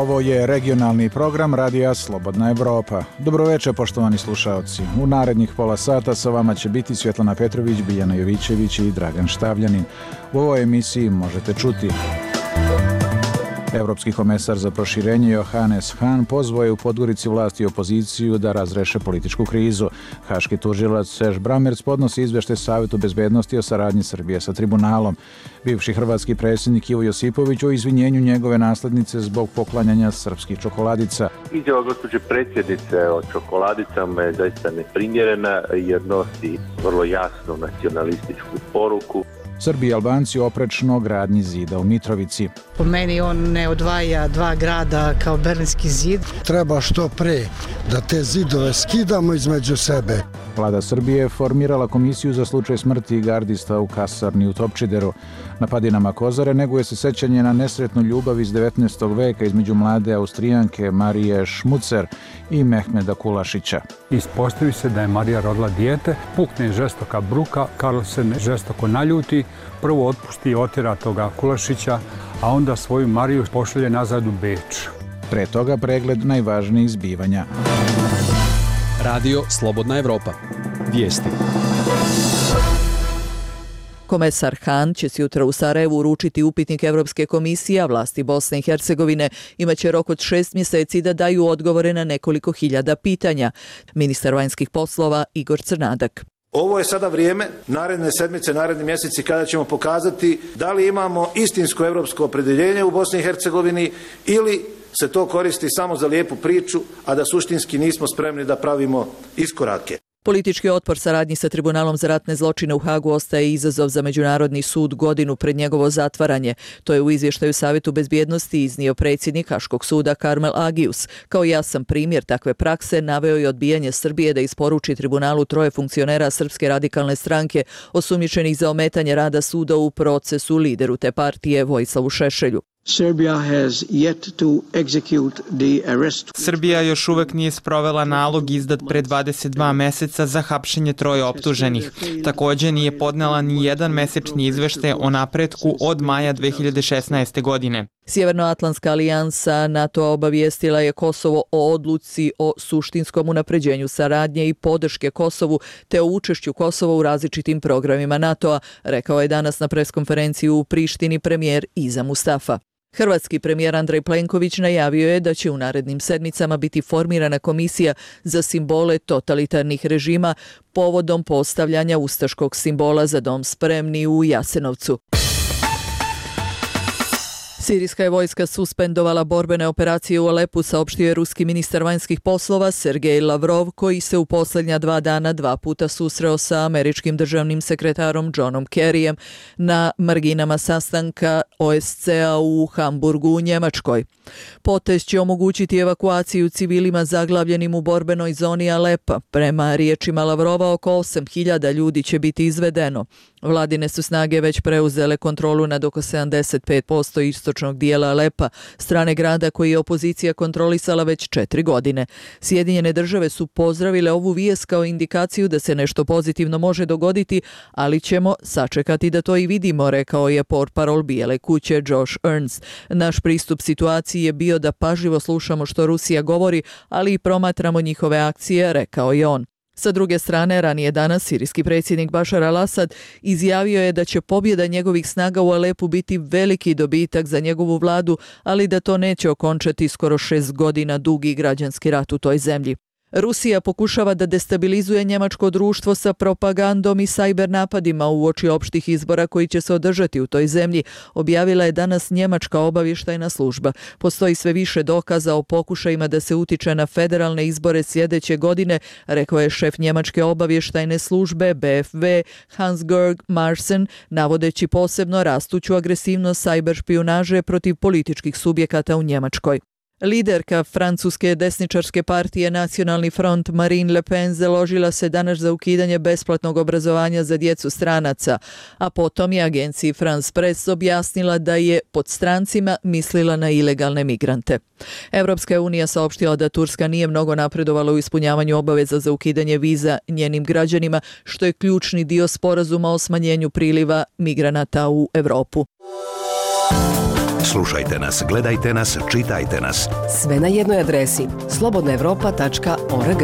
Ovo je regionalni program Radija Slobodna Evropa. Dobroveče, poštovani slušaoci. U narednih pola sata sa vama će biti Svjetlana Petrović, Biljana Jovićević i Dragan Štavljanin. U ovoj emisiji možete čuti: Evropski komesar za proširenje Johannes Hahn pozvao je u Podgorici vlast i opoziciju da razreše političku krizu. Haški tužilac Serge Brammertz podnosi izveštaj Savetu bezbednosti o saradnji Srbije sa tribunalom. Bivši hrvatski predsjednik Ivo Josipović o izvinjenju njegove naslednice zbog poklanjanja srpskih čokoladica. Izjava gospođe predsjednice o čokoladicama je zaista neprimjerena jer nosi vrlo jasnu nacionalističku poruku. Srbi i Albanci oprečno gradnji zida u Mitrovici. Po meni on ne odvaja dva grada kao Berlinski zid. Treba što pre da te zidove skidamo između sebe. Vlada Srbije je formirala komisiju za slučaj smrti gardista u kasarni u Topčideru. Na padinama Kozare neguje se sećanje na nesretnu ljubav iz 19. veka između mlade Austrijanke Marije Šmucer i Mehmeda Kulašića. Ispostavi se da je Marija rodila dijete, pukne žestoka bruka, Karl se žestoko naljuti, prvo otpusti i otjera toga Kulašića, a onda svoju Mariju pošalje nazad u Beč. Pre toga pregled najvažnijih zbivanja. Radio Slobodna Evropa. Vijesti. Komesar Hahn će sutra u Sarajevu uručiti upitnik Evropske komisije, a vlasti Bosne i Hercegovine imaće rok od 6 mjeseci da daju odgovore na nekoliko hiljada pitanja. Ministar vanjskih poslova Igor Crnadak. Ovo je sada vrijeme, naredne sedmice, naredni mjeseci kada ćemo pokazati da li imamo istinsko europsko opredjeljenje u Bosni i Hercegovini ili se to koristi samo za lijepu priču, a da suštinski nismo spremni da pravimo iskorake. Politički otpor saradnji sa Tribunalom za ratne zločine u Hagu ostaje izazov za Međunarodni sud godinu pred njegovo zatvaranje. To je u izvještaju Savetu bezbjednosti iznio predsjednik Haškog suda Karmel Agius. Kao jasan primjer takve prakse naveo je odbijanje Srbije da isporuči tribunalu 3 funkcionera Srpske radikalne stranke osumnjičenih za ometanje rada suda u procesu lideru te partije Vojislavu Šešelju. Srbija još uvek nije sprovela nalog izdat pre 22 meseca za hapšenje 3 optuženih. Također nije podnela ni jedan mesečni izveštaj o napretku od maja 2016. godine. Sjevernoatlantska alijansa NATO obavijestila je Kosovo o odluci o suštinskom unapređenju saradnje i podrške Kosovu te o učešću Kosova u različitim programima NATO-a, rekao je danas na preskonferenciji u Prištini premijer Iza Mustafa. Hrvatski premijer Andrej Plenković najavio je da će u narednim sedmicama biti formirana komisija za simbole totalitarnih režima povodom postavljanja ustaškog simbola Za dom spremni u Jasenovcu. Sirijska je vojska suspendovala borbene operacije u Alepu, saopštio je ruski ministar vanjskih poslova Sergej Lavrov, koji se u posljednja 2 dana 2 puta susreo sa američkim državnim sekretarom Johnom Kerryjem na marginama sastanka OSCE-a u Hamburgu u Njemačkoj. Potez će omogućiti evakuaciju civilima zaglavljenim u borbenoj zoni Alepa. Prema riječima Lavrova, oko 8.000 ljudi će biti izvedeno. Vladine su snage već preuzele kontrolu nad oko 75% istočnog dijela Alepa, strane grada koji je opozicija kontrolisala već 4 godine. Sjedinjene države su pozdravile ovu vijest kao indikaciju da se nešto pozitivno može dogoditi, ali ćemo sačekati da to i vidimo, rekao je portparol Bijele kuće Josh Earns. Naš pristup situaciji je bio da pažljivo slušamo što Rusija govori, ali i promatramo njihove akcije, rekao je on. Sa druge strane, ranije danas sirijski predsjednik Bašar al-Asad izjavio je da će pobjeda njegovih snaga u Alepu biti veliki dobitak za njegovu vladu, ali da to neće okončati skoro 6 godina dugi građanski rat u toj zemlji. Rusija pokušava da destabilizuje njemačko društvo sa propagandom i sajber napadima uoči opštih izbora koji će se održati u toj zemlji, objavila je danas njemačka obavještajna služba. Postoji sve više dokaza o pokušajima da se utiče na federalne izbore sljedeće godine, rekao je šef njemačke obavještajne službe BFV Hans-Georg Marsen, navodeći posebno rastuću agresivnost sajber špijunaže protiv političkih subjekata u Njemačkoj. Liderka francuske desničarske partije Nacionalni front Marine Le Pen založila se danas za ukidanje besplatnog obrazovanja za djecu stranaca, a potom je agenciji France Press objasnila da je pod strancima mislila na ilegalne migrante. Evropska unija saopštila da Turska nije mnogo napredovala u ispunjavanju obaveza za ukidanje viza njenim građanima, što je ključni dio sporazuma o smanjenju priliva migranata u Evropu. Slušajte nas, gledajte nas, čitajte nas. Sve na jednoj adresi slobodnaevropa.org.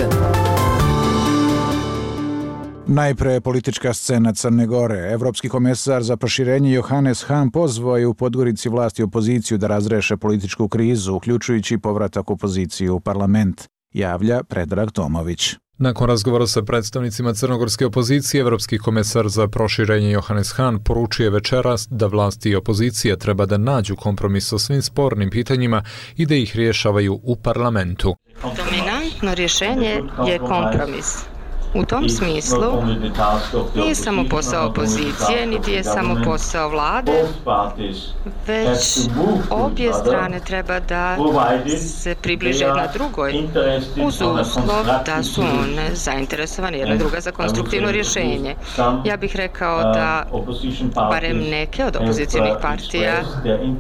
Najpre politička scena Crne Gore. Evropski komesar za proširenje Johannes Hahn pozvao je u Podgorici vlasti i opoziciju da razreše političku krizu, uključujući povratak opozicije u parlament, javlja Predrag Tomović. Nakon razgovora sa predstavnicima crnogorske opozicije, Evropski komesar za proširenje Johannes Hahn poručuje večeras da vlasti i opozicija treba da nađu kompromis o svim spornim pitanjima i da ih rješavaju u parlamentu. Dominantno rješenje je kompromis. U tom smislu nije samo posao opozicije, niti je samo posao vlade, već obje strane treba da se približe jedna drugoj uz uslov da su one zainteresovane jedna druga za konstruktivno rješenje. Ja bih rekao da barem neke od opozicijnih partija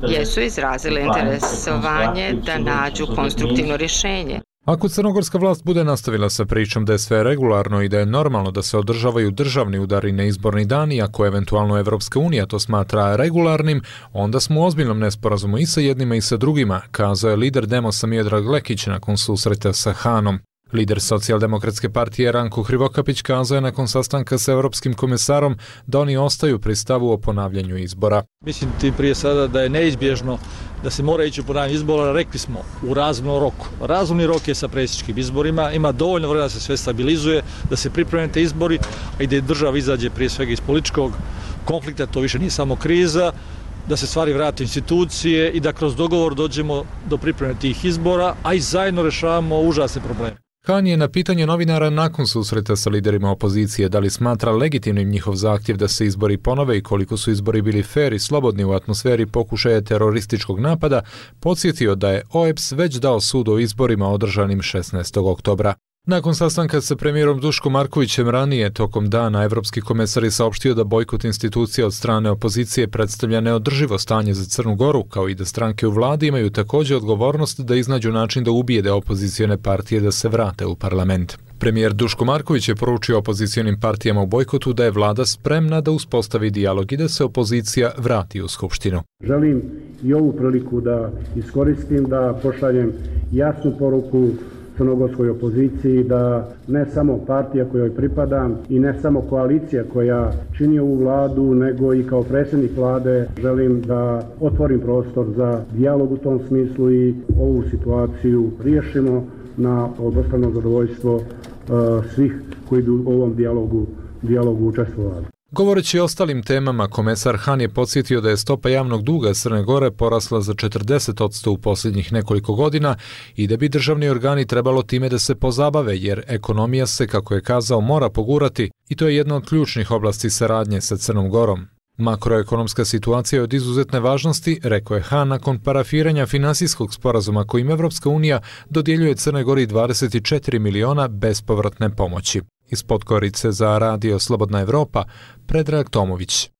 jesu izrazile interesovanje da nađu konstruktivno rješenje. Ako crnogorska vlast bude nastavila sa pričom da je sve regularno i da je normalno da se održavaju državni udari na izborni dan i ako eventualno Evropska unija to smatra regularnim, onda smo u ozbiljnom nesporazumu i sa jednima i sa drugima, kazao je lider Demosa Miodrag Lekić nakon susreta sa Hahnom. Lider Socijaldemokratske partije Ranko Hrivokapić kazao je nakon sastanka sa Evropskim komesarom da oni ostaju pri stavu o ponavljanju izbora. Mislim ti prije sada da je neizbježno da se mora ići u ponavljanje izbora, rekli smo, u razumnom roku. Razumni rok je sa predsjedničkim izborima, ima dovoljno vremena da se sve stabilizuje, da se pripreme te izbori, a i da država izađe prije svega iz političkog konflikta, to više nije samo kriza, da se stvari vrate u institucije i da kroz dogovor dođemo do pripreme tih izbora, a i zajedno rješavamo užasne probleme. Hahn je na pitanje novinara nakon susreta sa liderima opozicije da li smatra legitimnim njihov zahtjev da se izbori ponove i koliko su izbori bili fer i slobodni u atmosferi pokušaja terorističkog napada, podsjetio da je OEBS već dao sud o izborima održanim 16. oktobra. Nakon sastanka sa premijerom Duškom Markovićem ranije tokom dana, Evropski komesar je saopštio da bojkot institucija od strane opozicije predstavlja neodrživo stanje za Crnu Goru, kao i da stranke u vladi imaju također odgovornost da iznađu način da ubijede opozicione partije da se vrate u parlament. Premijer Duško Marković je poručio opozicijonim partijama u bojkotu da je vlada spremna da uspostavi dijalog i da se opozicija vrati u Skupštinu. Želim i ovu priliku da iskoristim da pošaljem jasnu poruku crnogorskoj opoziciji da ne samo partija kojoj pripadam i ne samo koalicija koja čini ovu vladu, nego i kao predsjednik vlade želim da otvorim prostor za dijalog u tom smislu i ovu situaciju riješimo na obostrano zadovoljstvo svih koji bi u ovom dijalogu učestvovali. Govoreći o ostalim temama, komesar Hahn je podsjetio da je stopa javnog duga Crne Gore porasla za 40% u posljednjih nekoliko godina i da bi državni organi trebalo time da se pozabave, jer ekonomija se, kako je kazao, mora pogurati i to je jedna od ključnih oblasti saradnje sa Crnom Gorom. Makroekonomska situacija je od izuzetne važnosti, rekao je Hahn nakon parafiranja finansijskog sporazuma kojim Evropska unija dodjeljuje Crnoj Gori 24 miliona bespovratne pomoći. Iz Podgorice za radio Slobodna Evropa, Predrag Tomović.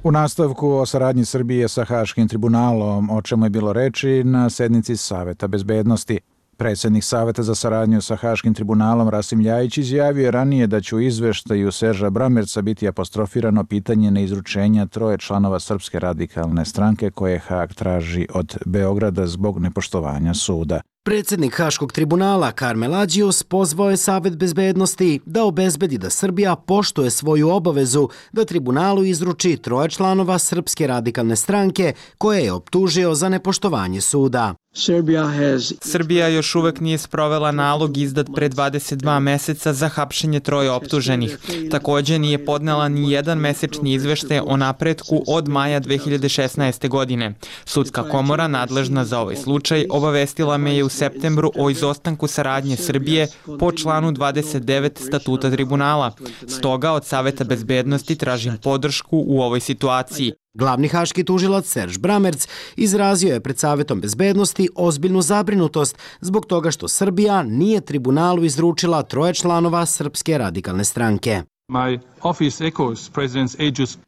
U nastavku o saradnji Srbije sa Haškim tribunalom, o čemu je bilo reči na sednici Saveta bezbednosti. Predsjednik Saveta za saradnju sa Haškim tribunalom Rasim Ljajić izjavio je ranije da će u izveštaju Serža Bramerca biti apostrofirano pitanje neizručenja 3 članova Srpske radikalne stranke koje Haag traži od Beograda zbog nepoštovanja suda. Predsjednik Haškog tribunala Karmel Ađius pozvao je Savet bezbednosti da obezbedi da Srbija poštuje svoju obavezu da tribunalu izruči 3 članova Srpske radikalne stranke koje je optužio za nepoštovanje suda. Srbija još uvek nije sprovela nalog izdat pre 22 meseca za hapšenje 3 optuženih. Također nije podnela ni jedan mesečni izveštaj o napretku od maja 2016. godine. Sudska komora nadležna za ovaj slučaj obavestila me je u septembru o izostanku saradnje Srbije po članu 29 statuta tribunala. Stoga od Saveta bezbednosti tražim podršku u ovoj situaciji. Glavni haški tužilac Serž Bramerc izrazio je pred Savetom bezbednosti ozbiljnu zabrinutost zbog toga što Srbija nije tribunalu izručila 3 članova Srpske radikalne stranke.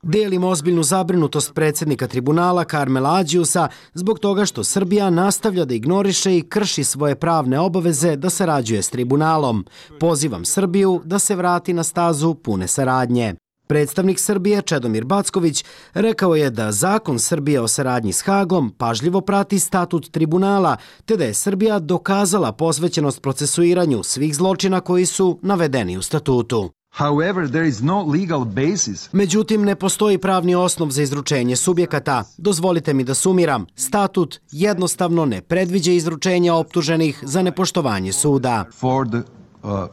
Delim ozbiljnu zabrinutost predsjednika tribunala Karmela Ađiusa zbog toga što Srbija nastavlja da ignoriše i krši svoje pravne obaveze da sarađuje s tribunalom. Pozivam Srbiju da se vrati na stazu pune saradnje. Predstavnik Srbije Čedomir Backović rekao je da zakon Srbije o saradnji s Hagom pažljivo prati statut tribunala, te da je Srbija dokazala posvećenost procesuiranju svih zločina koji su navedeni u statutu. However, there is no legal basis. Međutim, ne postoji pravni osnov za izručenje subjekata. Dozvolite mi da sumiram. Statut jednostavno ne predviđa izručenja optuženih za nepoštovanje suda. For the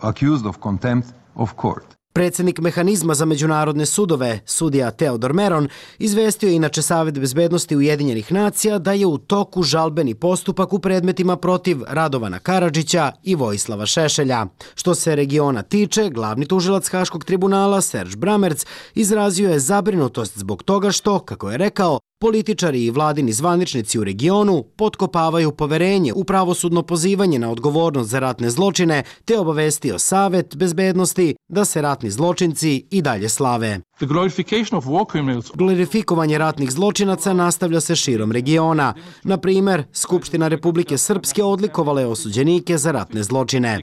accused of contempt of court. Predsjednik Mehanizma za međunarodne sudove, sudija Teodor Meron, izvestio je inače Savet bezbednosti Ujedinjenih nacija da je u toku žalbeni postupak u predmetima protiv Radovana Karadžića i Vojislava Šešelja. Što se regiona tiče, glavni tužilac Haškog tribunala Serge Bramerc izrazio je zabrinutost zbog toga što, kako je rekao, političari i vladini zvaničnici u regionu potkopavaju poverenje u pravosudno pozivanje na odgovornost za ratne zločine, te obavestio Savet bezbednosti da se ratni zločinci i dalje slave. Glorifikovanje ratnih zločinaca nastavlja se širom regiona. Na primjer, Skupština Republike Srpske odlikovala je osuđenike za ratne zločine.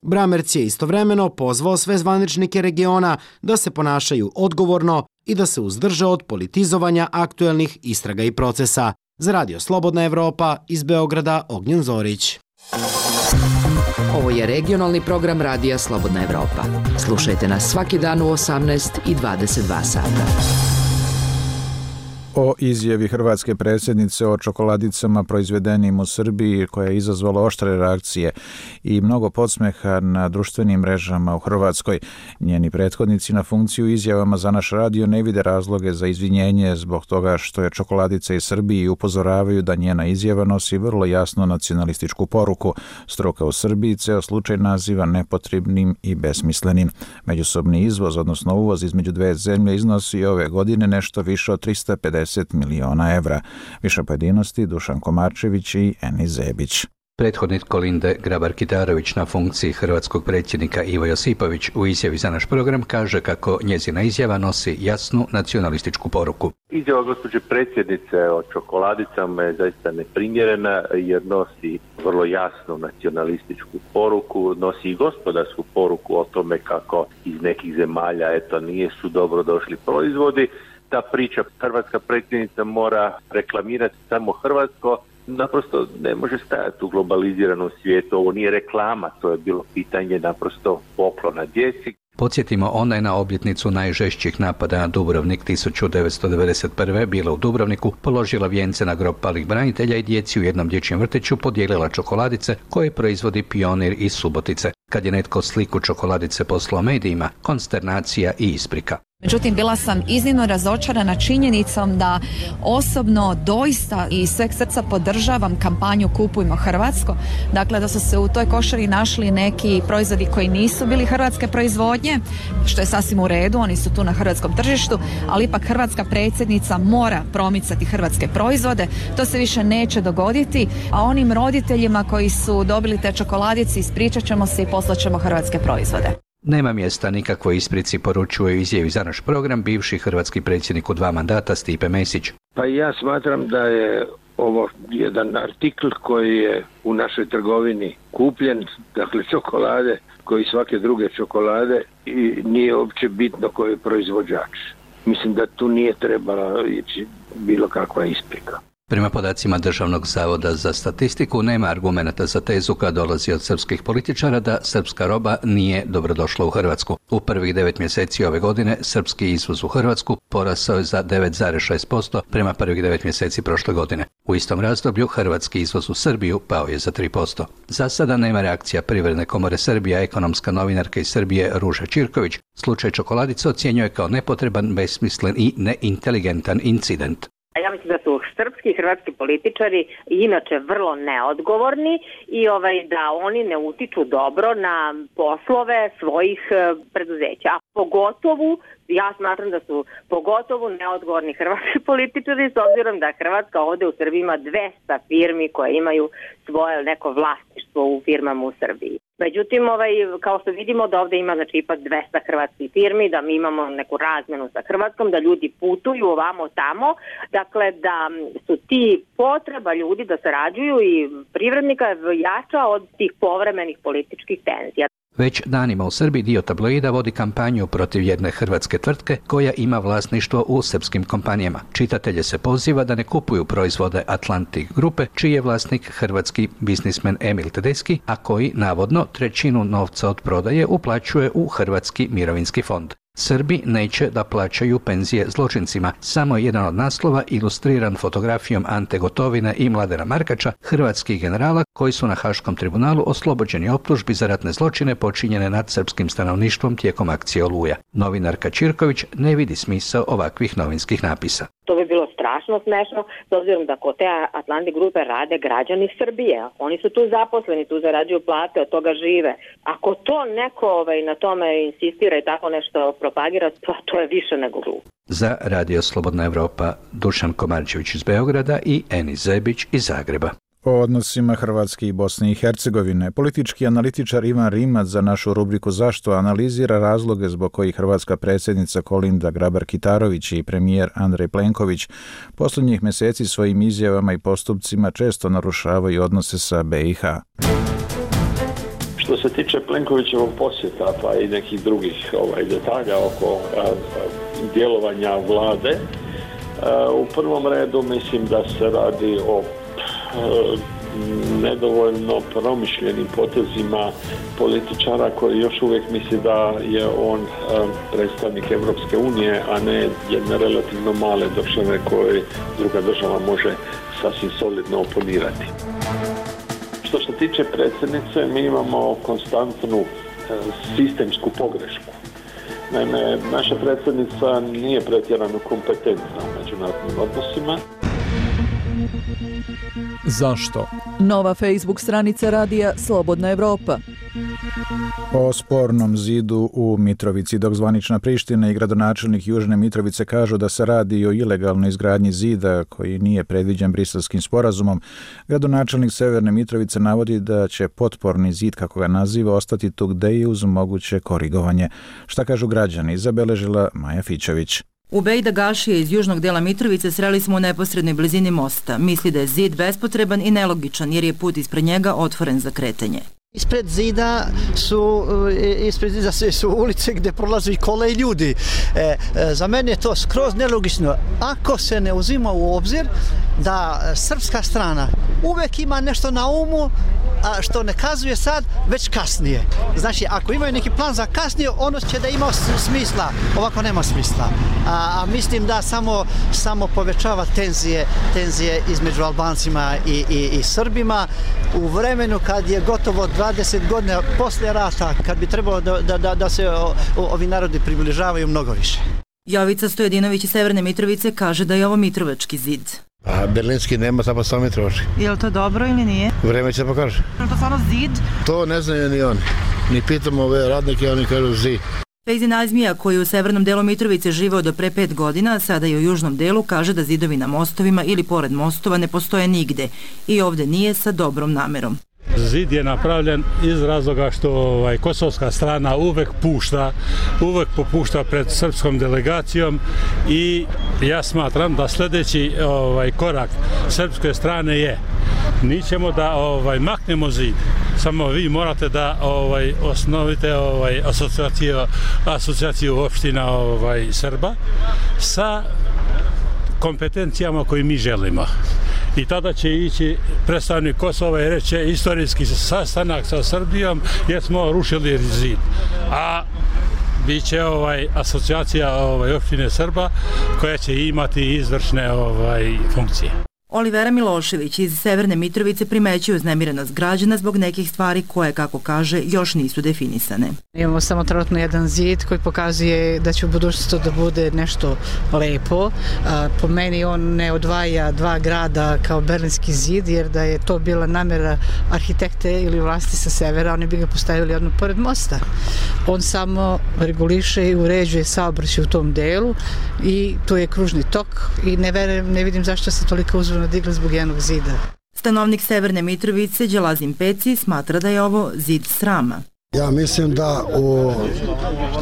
Bramerc je istovremeno pozvao sve zvaničnike regiona da se ponašaju odgovorno i da se uzdrže od politizovanja aktuelnih istraga i procesa. Za Radio Slobodna Evropa iz Beograda, Ognjen Zorić. Ovo je regionalni program Radija Slobodna Evropa. Slušajte nas svaki dan u 18 i 22 sata. O izjavi hrvatske predsjednice o čokoladicama proizvedenim u Srbiji, koja je izazvala oštre reakcije i mnogo podsmeha na društvenim mrežama u Hrvatskoj. Njeni prethodnici na funkciju izjavama za naš radio ne vide razloge za izvinjenje zbog toga što je čokoladica iz Srbije i upozoravaju da njena izjava nosi vrlo jasno nacionalističku poruku. Struka u Srbiji ceo slučaj naziva nepotrebnim i besmislenim. Međusobni izvoz, odnosno uvoz između dve zemlje, iznosi ove godine nešto više od 350 miliona evra. Više pojedinosti Dušan Komarčević i Eni Zebić. Prethodnik Kolinde Grabar-Kitarović na funkciji hrvatskog predsjednika Ivo Josipović u izjavi za naš program kaže kako njezina izjava nosi jasnu nacionalističku poruku. Izjava gospođe predsjednice o čokoladicama je zaista neprimjerena jer nosi vrlo jasnu nacionalističku poruku, nosi i gospodarsku poruku o tome kako iz nekih zemalja nisu dobro došli proizvodi. Ta priča hrvatska predsjednica mora reklamirati samo hrvatsko, naprosto ne može stajati u globaliziranom svijetu. Ovo nije reklama, to je bilo pitanje naprosto poklona djeci. Podsjetimo, ona je na obljetnicu najžešćih napada na Dubrovnik 1991. bila u Dubrovniku, položila vijence na grob palih branitelja i djeci u jednom dječjem vrtiću podijelila čokoladice koje proizvodi Pionir iz Subotice. Kad je netko sliku čokoladice poslao medijima, konsternacija i isprika. Međutim, bila sam iznimno razočarana činjenicom da osobno doista i sveg srca podržavam kampanju Kupujmo hrvatsko. Dakle, da su se u toj košari našli neki proizvodi koji nisu bili hrvatske proizvodnje, što je sasvim u redu, oni su tu na hrvatskom tržištu, ali ipak hrvatska predsjednica mora promicati hrvatske proizvode. To se više neće dogoditi, a onim roditeljima koji su dobili te čokoladice ispričat ćemo se i poslat ćemo hrvatske proizvode. Nema mjesta nikakvoj isprici, poručuje u izjavi za naš program bivši hrvatski predsjednik u 2 mandata Stipe Mesić. Pa ja smatram da je ovo jedan artikl koji je u našoj trgovini kupljen, dakle čokolade, koji svake druge čokolade, i nije uopće bitno koji je proizvođač. Mislim da tu nije trebala ići bilo kakva isprika. Prema podacima Državnog zavoda za statistiku nema argumenata za tezu koja dolazi od srpskih političara da srpska roba nije dobrodošla u Hrvatsku. U prvih 9 mjeseci ove godine srpski izvoz u Hrvatsku porasao je za 9,6% prema prvih 9 mjeseci prošle godine. U istom razdoblju hrvatski izvoz u Srbiju pao je za 3%. Za sada nema reakcija Privredne komore Srbije, ekonomska novinarka iz Srbije Ruža Čirković slučaj čokoladice ocjenjuje kao nepotreban, besmislen i neinteligentan incident. Ja mislim da su srpski i hrvatski političari inače vrlo neodgovorni i da oni ne utiču dobro na poslove svojih preduzeća. Pogotovo, ja smatram da su pogotovo neodgovorni hrvatski političari s obzirom da Hrvatska ovdje u Srbiji ima 200 firmi koje imaju svoje neko vlasništvo u firmama u Srbiji. Međutim, kao što vidimo da ovdje ima ipak 200 hrvatskih firmi, da mi imamo neku razmjenu sa Hrvatskom, da ljudi putuju ovamo tamo, dakle da su ti potreba ljudi da sarađuju i privrednika jača od tih povremenih političkih tenzija. Već danima u Srbiji dio tabloida vodi kampanju protiv jedne hrvatske tvrtke koja ima vlasništvo u srpskim kompanijama. Čitatelje se poziva da ne kupuju proizvode Atlantic grupe, čiji je vlasnik hrvatski biznismen Emil Tedeschi, a koji navodno trećinu novca od prodaje uplaćuje u Hrvatski mirovinski fond. Srbi neće da plaćaju penzije zločincima. Samo je jedan od naslova ilustriran fotografijom Ante Gotovine i Mladena Markača, hrvatskih generala koji su na Haškom tribunalu oslobođeni optužbi za ratne zločine počinjene nad srpskim stanovništvom tijekom akcije Oluja. Novinarka Čirković ne vidi smisao ovakvih novinskih napisa. To bi bilo strašno smešno, s obzirom da kod te Atlantic grupe rade građani Srbije. Oni su tu zaposleni, tu zarađuju plate, od toga žive. Ako to neko na tome insistira i tako nešto propagira, to je više nego glupo. Za Radio Slobodna Evropa, Dušan Komarčević iz Beograda i Enis Zebić iz Zagreba. O odnosima Hrvatske i Bosne i Hercegovine, politički analitičar Ivan Rimac za našu rubriku Zašto analizira razloge zbog kojih hrvatska predsjednica Kolinda Grabar-Kitarović i premijer Andrej Plenković posljednjih mjeseci svojim izjavama i postupcima često narušavaju odnose sa BiH. Što se tiče Plenkovićevog posjeta pa i nekih drugih detalja oko djelovanja vlade, u prvom redu mislim da se radi o nedovoljno promišljenim potezima političara koji još uvijek misli da je on predstavnik Evropske unije, a ne jedne relativno male države koje druga država može sasvim solidno oponirati. Što se tiče predsjednice, mi imamo konstantnu sistemsku pogrešku. Naime, naša predsjednica nije pretjerano kompetentna u međunarodnim odnosima. Zašto? Nova Facebook stranica radija Slobodna Evropa. O spornom zidu u Mitrovici, dok zvanična Priština i gradonačelnik Južne Mitrovice kažu da se radi o ilegalnoj izgradnji zida koji nije predviđen Briselskim sporazumom, gradonačelnik Severne Mitrovice navodi da će potporni zid, kako ga naziva, ostati tu gde i uz moguće korigovanje. Šta kažu građani, zabeležila Maja Fićević. Ubejda Gašije iz južnog dela Mitrovice sreli smo u neposrednoj blizini mosta. Misli da je zid bespotreban i nelogičan jer je put ispred njega otvoren za kretanje. Ispred zida su ulice gdje prolaze i kole i ljudi. Za mene je to skroz nelogično. Ako se ne uzima u obzir da srpska strana uvek ima nešto na umu, a što ne kazuje sad, već kasnije. Znači, ako imaju neki plan za kasnije, ono će da ima smisla. Ovako nema smisla. A mislim da samo povećava tenzije između Albancima i Srbima. U vremenu kad je gotovo 20 godina poslije rata, kad bi trebalo da se ovi narodi približavaju mnogo više. Jovica Stojedinović iz Severne Mitrovice kaže da je ovo Mitrovački zid. A berlinski nema, samo Mitrovački. Je li to dobro ili nije? Vreme će pokaže. Je to stvarno zid? To ne znaju ni oni. Ni pitamo ove radnike, oni kažu zid. Fejzi Nazmija, koji u severnom delu Mitrovice živeo do pre 5 godina, sada i u južnom delu, kaže da zidovi na mostovima ili pored mostova ne postoje nigde i ovde nije sa dobrom namerom. Zid je napravljen iz razloga što kosovska strana uvek popušta pred srpskom delegacijom i ja smatram da sljedeći korak srpske strane je mi ćemo da maknemo zid. Samo vi morate da osnovite asocijaciju opština Srba sa kompetencijama koje mi želimo. I tada će ići predstavnik Kosova i reći istorijski sastanak sa Srbijom jer smo rušili zid. A bit će asocijacija opštine Srba koja će imati izvršne funkcije. Olivera Milošević iz Severne Mitrovice primećuje uznemirenost građana zbog nekih stvari koje, kako kaže, još nisu definisane. Imamo samo trenutno jedan zid koji pokazuje da će u budućnosti da bude nešto lepo. Po meni on ne odvaja dva grada kao Berlinski zid, jer da je to bila namjera arhitekte ili vlasti sa severa, oni bi ga postavili odmah pored mosta. On samo reguliše i uređuje saobraćaj u tom delu i tu je kružni tok i ne vidim zašto se toliko uzvrno digla zbog jednog zida. Stanovnik Severne Mitrovice, Đelazim Peci, smatra da je ovo zid srama. Ja mislim da u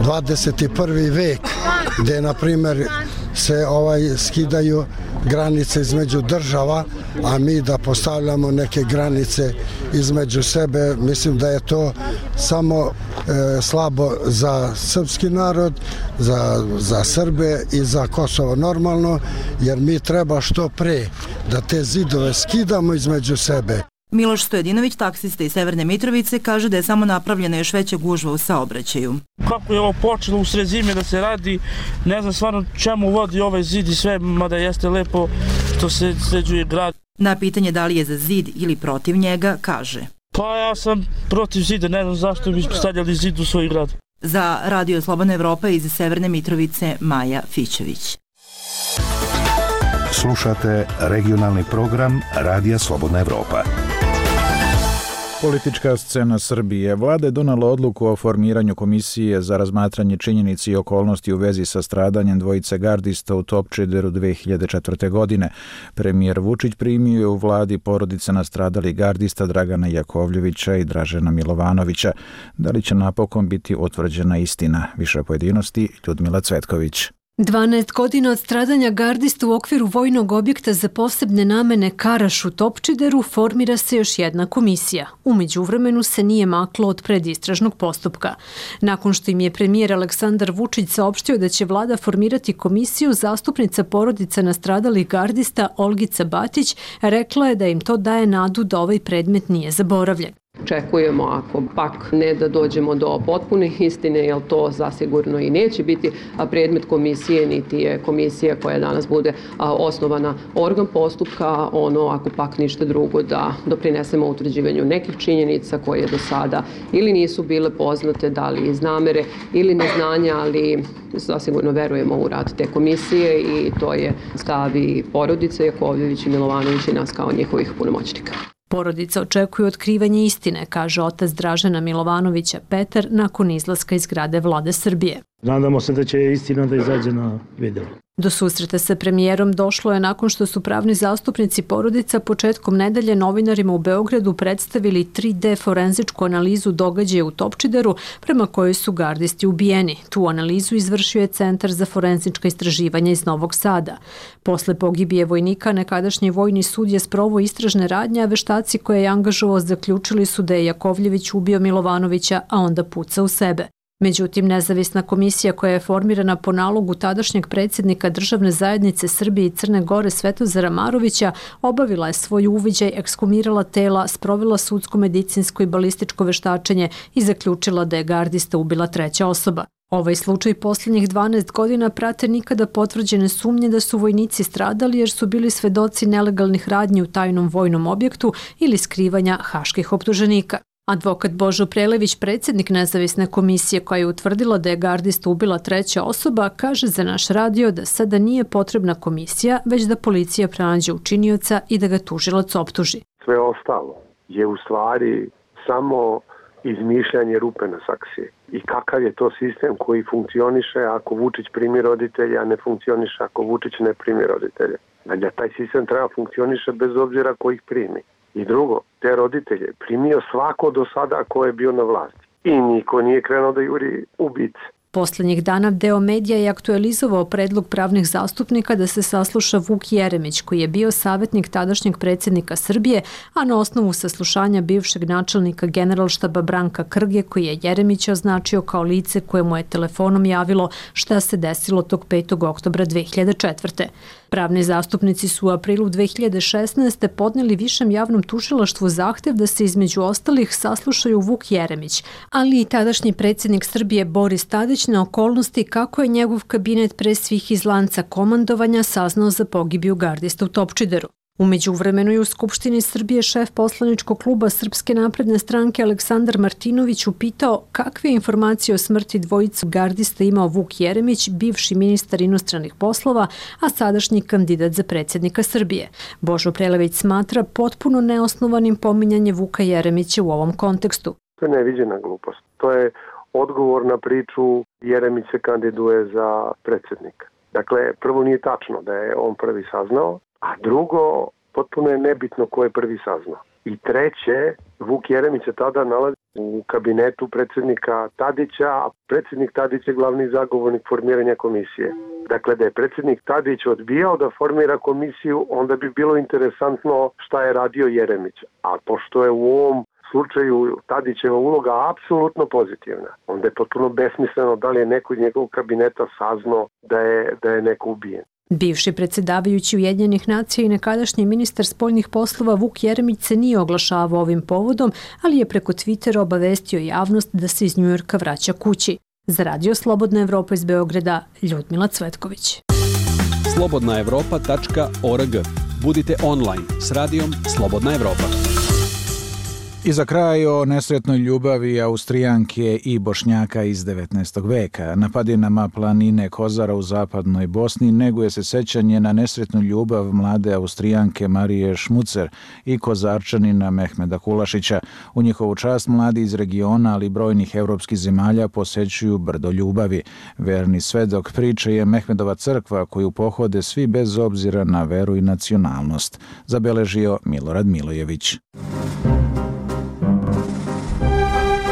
21. vek, gdje na primjer se skidaju granice između država, a mi da postavljamo neke granice između sebe, mislim da je to samo slabo za srpski narod, za Srbe i za Kosovo normalno, jer mi treba što pre da te zidove skidamo između sebe. Miloš Stojedinović, taksista iz Severne Mitrovice, kaže da je samo napravljena još veća gužva u saobraćaju. Kako je ovo počelo u sred zime da se radi, ne znam stvarno čemu vodi ovaj zid i sve, mada jeste lepo što se sređuje grad. Na pitanje da li je za zid ili protiv njega, kaže: Pa ja sam protiv zida, ne znam zašto bi stavljali zid u svoj grad. Za Radio Slobodna Evropa iz Severne Mitrovice, Maja Fićević. Slušate regionalni program Radija Slobodna Evropa. Politička scena Srbije. Vlada je donala odluku o formiranju komisije za razmatranje činjenici i okolnosti u vezi sa stradanjem dvojice gardista u Topčideru 2004. godine. Premijer Vučić primio je u vladi porodice nastradalih gardista Dragana Jakovljevića i Dražena Milovanovića. Da li će napokon biti utvrđena istina? Više pojedinosti, Ljudmila Cvetković. 12 godina od stradanja gardista u okviru vojnog objekta za posebne namene Karaš u Topčideru formira se još jedna komisija. U međuvremenu se nije maklo od predistražnog postupka. Nakon što im je premijer Aleksandar Vučić saopštio da će vlada formirati komisiju, zastupnica porodica nastradalih gardista Olgica Batić rekla je da im to daje nadu da ovaj predmet nije zaboravljen. Očekujemo, ako pak ne da dođemo do potpune istine, jer to zasigurno i neće biti predmet komisije, niti je komisija koja danas bude osnovana organ postupka, ako pak ništa drugo, da doprinesemo utvrđivanju nekih činjenica koje do sada ili nisu bile poznate, da li iz namere ili neznanja, ali zasigurno verujemo u rad te komisije i to je stav i porodice Jakovljević i Milovanović i nas kao njihovih punomoćnika. Porodica očekuje otkrivanje istine, kaže otac Dražena Milovanovića Petar nakon izlaska iz zgrade Vlade Srbije. Nadamo se da će istina da izađe na video. Do susreta sa premijerom došlo je nakon što su pravni zastupnici porodica početkom nedelje novinarima u Beogradu predstavili 3D forenzičku analizu događaja u Topčideru prema kojoj su gardisti ubijeni. Tu analizu izvršio je Centar za forenzička istraživanja iz Novog Sada. Posle pogibije vojnika, nekadašnji vojni sud je sproveo istražne radnje, a veštaci koje je angažovao zaključili su da je Jakovljević ubio Milovanovića, a onda pucao u sebe. Međutim, nezavisna komisija koja je formirana po nalogu tadašnjeg predsjednika Državne zajednice Srbije i Crne Gore Svetozara Marovića obavila je svoj uviđaj, ekshumirala tela, sprovela sudsko, medicinsko i balističko veštačenje i zaključila da je gardista ubila treća osoba. Ovaj slučaj posljednjih 12 godina prate nikada potvrđene sumnje da su vojnici stradali jer su bili svedoci nelegalnih radnji u tajnom vojnom objektu ili skrivanja haških optuženika. Advokat Božo Prelević, predsjednik nezavisne komisije koja je utvrdila da je gardista ubila treća osoba, kaže za naš radio da sada nije potrebna komisija, već da policija pronađe učinioca i da ga tužilac optuži. Sve ostalo je u stvari samo izmišljanje rupe na saksiji. I kakav je to sistem koji funkcioniše ako Vučić primi roditelja, a ne funkcioniše ako Vučić ne primi roditelja. Dakle, taj sistem treba funkcioniše bez obzira ko ih primi. I drugo, te roditelje primio svako do sada ko je bio na vlasti. I niko nije krenuo da juri ubice. Poslednjih dana deo medija je aktualizovao predlog pravnih zastupnika da se sasluša Vuk Jeremić, koji je bio savjetnik tadašnjeg predsjednika Srbije, a na osnovu saslušanja bivšeg načelnika Generalštaba Branka Krge, koji je Jeremića označio kao lice koje mu je telefonom javilo šta se desilo tog 5. oktobra 2004. Pravni zastupnici su u aprilu 2016. podneli Višem javnom tužilaštvu zahtev da se između ostalih saslušaju Vuk Jeremić, ali i tadašnji predsjednik Srbije Boris Tadić na okolnosti kako je njegov kabinet pre svih iz lanca komandovanja saznao za pogibiju gardista u Topčideru. U međuvremenu je u Skupštini Srbije šef poslaničkog kluba Srpske napredne stranke Aleksandar Martinović upitao kakve informacije o smrti dvojicu gardista imao Vuk Jeremić, bivši ministar inostranih poslova, a sadašnji kandidat za predsjednika Srbije. Božo Prelević smatra potpuno neosnovanim pominjanje Vuka Jeremića u ovom kontekstu. To je neviđena glupost. To je odgovor na priču Jeremić se kandiduje za predsjednika. Dakle, prvo nije tačno da je on prvi saznao, a drugo, potpuno je nebitno ko je prvi saznao. I treće, Vuk Jeremić se tada nalazi u kabinetu predsjednika Tadića, a predsjednik Tadić je glavni zagovornik formiranja komisije. Dakle, da je predsjednik Tadić odbijao da formira komisiju, onda bi bilo interesantno šta je radio Jeremić. A pošto je u ovom slučaju Tadićeva uloga apsolutno pozitivna. Onda je potpuno besmisleno da li je neko iz njegovog kabineta saznao da je neko ubijen. Bivši predsjedavajući Ujedinjenih nacija i nekadašnji ministar spoljnih poslova Vuk Jeremić se nije oglašavao ovim povodom, ali je preko Twittera obavestio javnost da se iz Njujorka vraća kući. Za Radio Slobodna Evropa iz Beograda, Ljudmila Cvetković. slobodnaevropa.org. Budite online s radijom Slobodna Evropa. I za kraj o nesretnoj ljubavi Austrijanke i Bošnjaka iz 19. veka. Na padinama planine Kozara u zapadnoj Bosni neguje se sećanje na nesretnu ljubav mlade Austrijanke Marije Šmucer i Kozarčanina Mehmeda Kulašića. U njihovu čast mladi iz regiona, ali i brojnih evropskih zemalja posećuju brdo ljubavi. Verni svedok priče je Mehmedova crkva koju pohode svi bez obzira na veru i nacionalnost, zabeležio Milorad Milojević.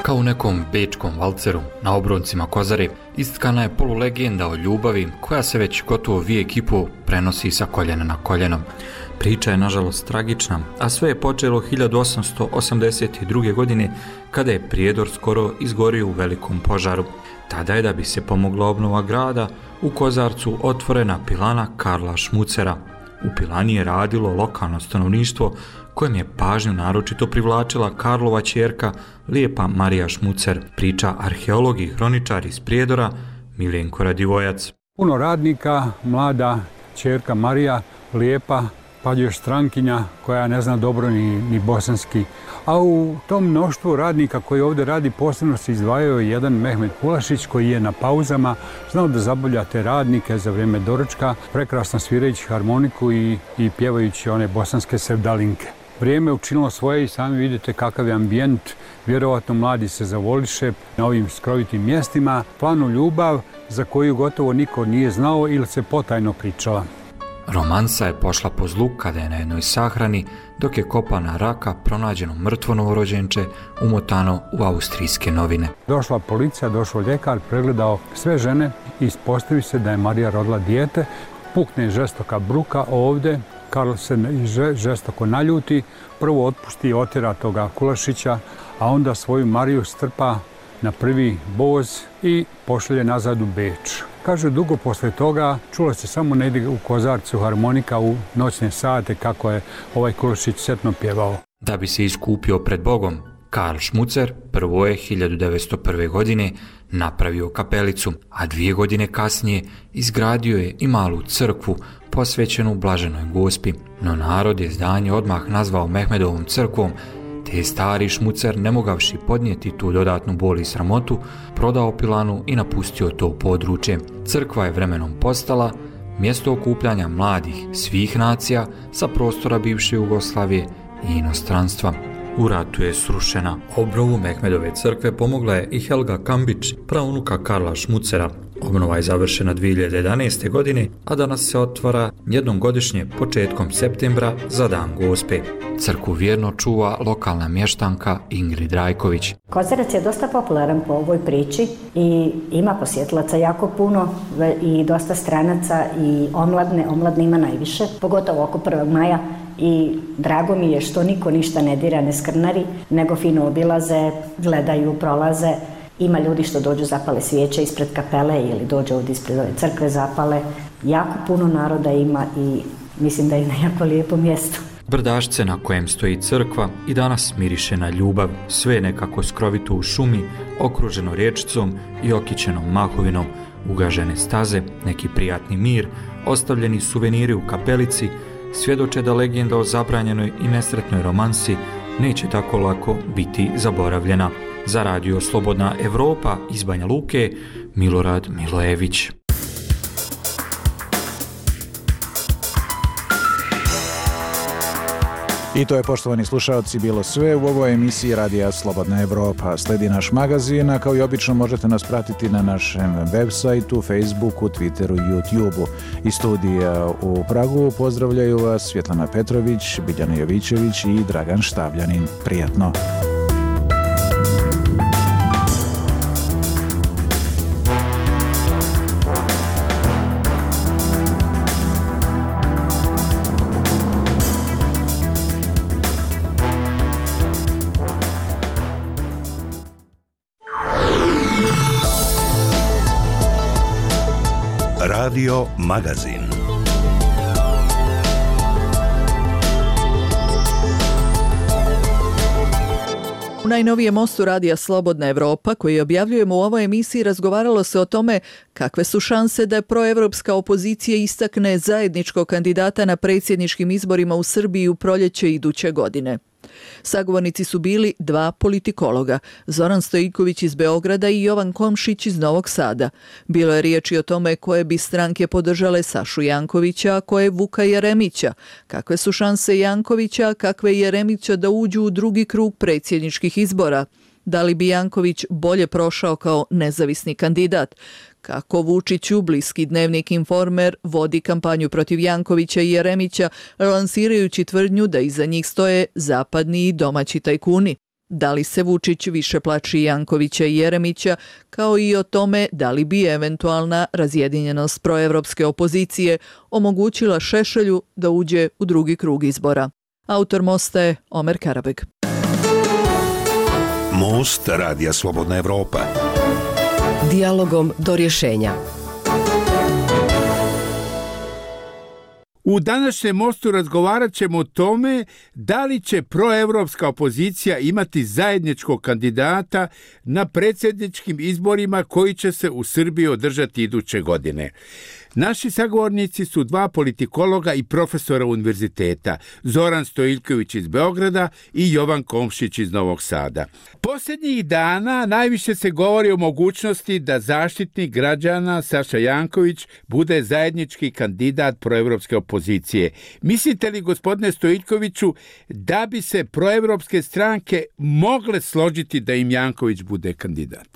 Kao u nekom bečkom valceru na obroncima Kozare istkana je polulegenda o ljubavi koja se već gotovo vijek i pol prenosi sa koljena na koljeno. Priča je nažalost tragična, a sve je počelo 1882. godine kada je Prijedor skoro izgorio u velikom požaru. Tada je, da bi se pomogla obnova grada, u Kozarcu otvorena pilana Karla Šmucera. U pilani je radilo lokalno stanovništvo kojem je pažnju naročito privlačila Karlova ćerka lijepa Marija Šmucer, priča arheolog i hroničar iz Prijedora Miljenko Radivojac. Puno radnika, mlada ćerka Marija, lijepa, pa još strankinja koja ne zna dobro ni bosanski. A u tom mnoštvu radnika koji ovdje radi posebno se izdvajao jedan Mehmed Kulašić koji je na pauzama znao da zabavlja te radnike za vrijeme doručka, prekrasno svirajući harmoniku i pjevajući one bosanske sevdalinke. Vrijeme učinilo svoje i sami vidite kakav je ambijent, vjerovatno mladi se zavoliše na ovim skrovitim mjestima, planu ljubav za koju gotovo niko nije znao ili se potajno pričala. Romansa je pošla po zlu kada je na jednoj sahrani, dok je kopana raka pronađeno mrtvo novorođenče umotano u austrijske novine. Došla policija, došao ljekar, pregledao sve žene i ispostavi se da je Marija rodila dijete, pukne žestoka bruka ovdje, Karl se žestoko naljuti, prvo otpusti i otjera toga Kulašića, a onda svoju Mariju strpa na prvi voz i pošalje nazad u Beč. Kaže, dugo posle toga čulo se samo negdje u Kozarcu harmonika u noćne sate kako je ovaj Kulašić setno pjevao. Da bi se iskupio pred Bogom, Karl Šmucer prvo je 1901. godine napravio kapelicu, a 2 godine kasnije izgradio je i malu crkvu posvećenu Blaženoj Gospi. No narod je zdanje odmah nazvao Mehmedovom crkvom, te je stari Šmucer, ne mogavši podnijeti tu dodatnu bol i sramotu, prodao pilanu i napustio to područje. Crkva je vremenom postala mjesto okupljanja mladih svih nacija sa prostora bivše Jugoslavije i inostranstva. U ratu je srušena. Obnovu Mehmedove crkve pomogla je i Helga Kambić, praunuka Karla Šmucera. Obnova je završena 2011. godine, a danas se otvara jednom godišnje početkom septembra za Dan Gospe. Crkvu vjerno čuva lokalna mještanka Ingrid Rajković. Kozarac je dosta popularan po ovoj priči i ima posjetlaca jako puno i dosta stranaca i omladne ima najviše, pogotovo oko 1. maja. I drago mi je što niko ništa ne dira, ne skrnari, nego fino obilaze, gledaju, prolaze. Ima ljudi što dođu zapale svijeće ispred kapele ili dođu ovdje ispred ove crkve zapale. Jako puno naroda ima i mislim da je na jako lijepo mjesto. Brdašce na kojem stoji crkva i danas miriše na ljubav, sve nekako skrovito u šumi, okruženo riječicom i okićenom mahovinom, ugažene staze, neki prijatni mir, ostavljeni suveniri u kapelici, svjedoče da legenda o zabranjenoj i nesretnoj romansi neće tako lako biti zaboravljena. Za Radio Slobodna Evropa iz Banja Luke, Milorad Milojević. I to je, poštovani slušalci, bilo sve u ovoj emisiji Radija Slobodna Evropa. Sledi naš magazin, a kao i obično možete nas pratiti na našem web sajtu, Facebooku, Twitteru i YouTubeu. Iz studija u Pragu pozdravljaju vas Svjetlana Petrović, Biljana Jovićević i Dragan Štavljanin. Prijatno! Radio Magazin. U najnovijem mostu radija Slobodna Evropa, koji objavljujemo u ovoj emisiji, razgovaralo se o tome kakve su šanse da proevropska opozicija istakne zajedničkog kandidata na predsjedničkim izborima u Srbiji u proljeće iduće godine. Sagovornici su bili dva politikologa, Zoran Stojiković iz Beograda i Jovan Komšić iz Novog Sada. Bilo je riječi o tome koje bi stranke podržale Sašu Jankovića, a koje Vuka Jeremića. Kakve su šanse Jankovića, kakve Jeremića da uđu u drugi krug predsjedničkih izbora? Da li bi Janković bolje prošao kao nezavisni kandidat? Kako Vučiću bliski dnevnik Informer vodi kampanju protiv Jankovića i Jeremića, lansirajući tvrdnju da iza njih stoje zapadni i domaći tajkuni? Da li se Vučić više plaši Jankovića i Jeremića, kao i o tome da li bi eventualna razjedinjenost proevropske opozicije omogućila Šešelju da uđe u drugi krug izbora? Autor mosta je Omer Karabeg. Most Radija Slobodna Evropa. Dijalogom do rješenja. U današnjem mostu razgovarat ćemo o tome da li će proevropska opozicija imati zajedničkog kandidata na predsjedničkim izborima koji će se u Srbiji održati iduće godine. Naši sagovornici su dva politikologa i profesora univerziteta, Zoran Stojiković iz Beograda i Jovan Komšić iz Novog Sada. Posljednjih dana najviše se govori o mogućnosti da zaštitnik građana Saša Janković bude zajednički kandidat proevropske opozicije. Mislite li, gospodine Stojikoviću, da bi se proevropske stranke mogle složiti da im Janković bude kandidat?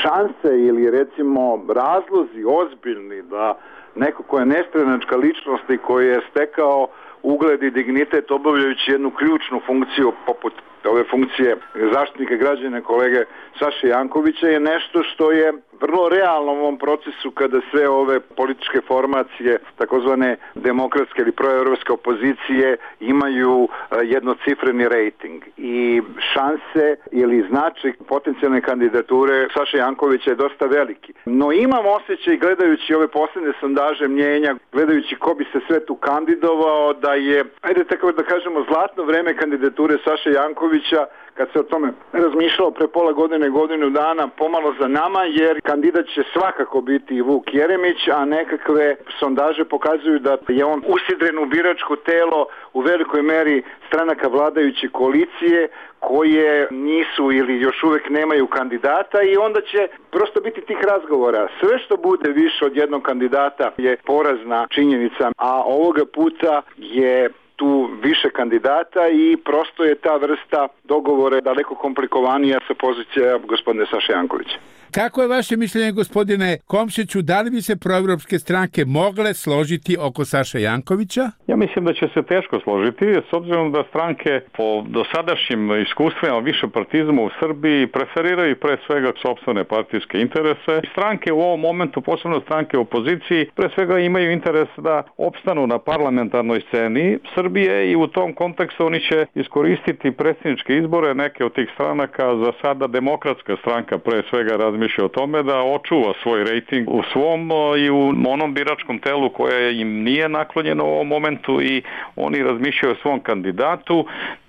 Šanse ili recimo razlozi ozbiljni da neko ko je nestranačka ličnost i koji je stekao ugled i dignitet obavljajući jednu ključnu funkciju poput ove funkcije zaštitnika građana kolege Saše Jankovića je nešto što je vrlo realno u ovom procesu kada sve ove političke formacije, takozvane demokratske ili proevropske opozicije, imaju jednocifreni rejting. I šanse ili značaj potencijalne kandidature Saše Jankovića je dosta veliki. No imam osjećaj, gledajući ove posljednje sondaže mnjenja, gledajući ko bi se sve tu kandidovao, da je, ajde tako da kažemo, zlatno vreme kandidature Saše Jankovića, kad se o tome razmišljalo pre pola godine, godinu dana, pomalo za nama, jer kandidat će svakako biti i Vuk Jeremić, a nekakve sondaže pokazuju da je on usidren u biračko telo u velikoj meri stranaka vladajuće koalicije koje nisu ili još uvijek nemaju kandidata i onda će prosto biti tih razgovora. Sve što bude više od jednog kandidata je porazna činjenica, a ovoga puta je tu više kandidata i prosto je ta vrsta dogovora daleko komplikovanija sa pozicija gospodine Saše Jankovića. Kako je vaše mišljenje, gospodine Komšiću, da li bi se proevropske stranke mogle složiti oko Saše Jankovića? Ja mislim da će se teško složiti, s obzirom da stranke po dosadašnjim iskustvima višepartizma u Srbiji preferiraju pre svega sopstvene partijske interese. Stranke u ovom momentu, posebno stranke u opoziciji, pre svega imaju interes da opstanu na parlamentarnoj sceni Srbije i u tom kontekstu oni će iskoristiti predsjedničke izbore. Neke od tih stranaka, za sada Demokratska stranka pre svega razmišlja o tome da očuva svoj rejting u svom i u onom biračkom telu koje im nije naklonjeno u ovom momentu i oni razmišljaju o svom kandidatu.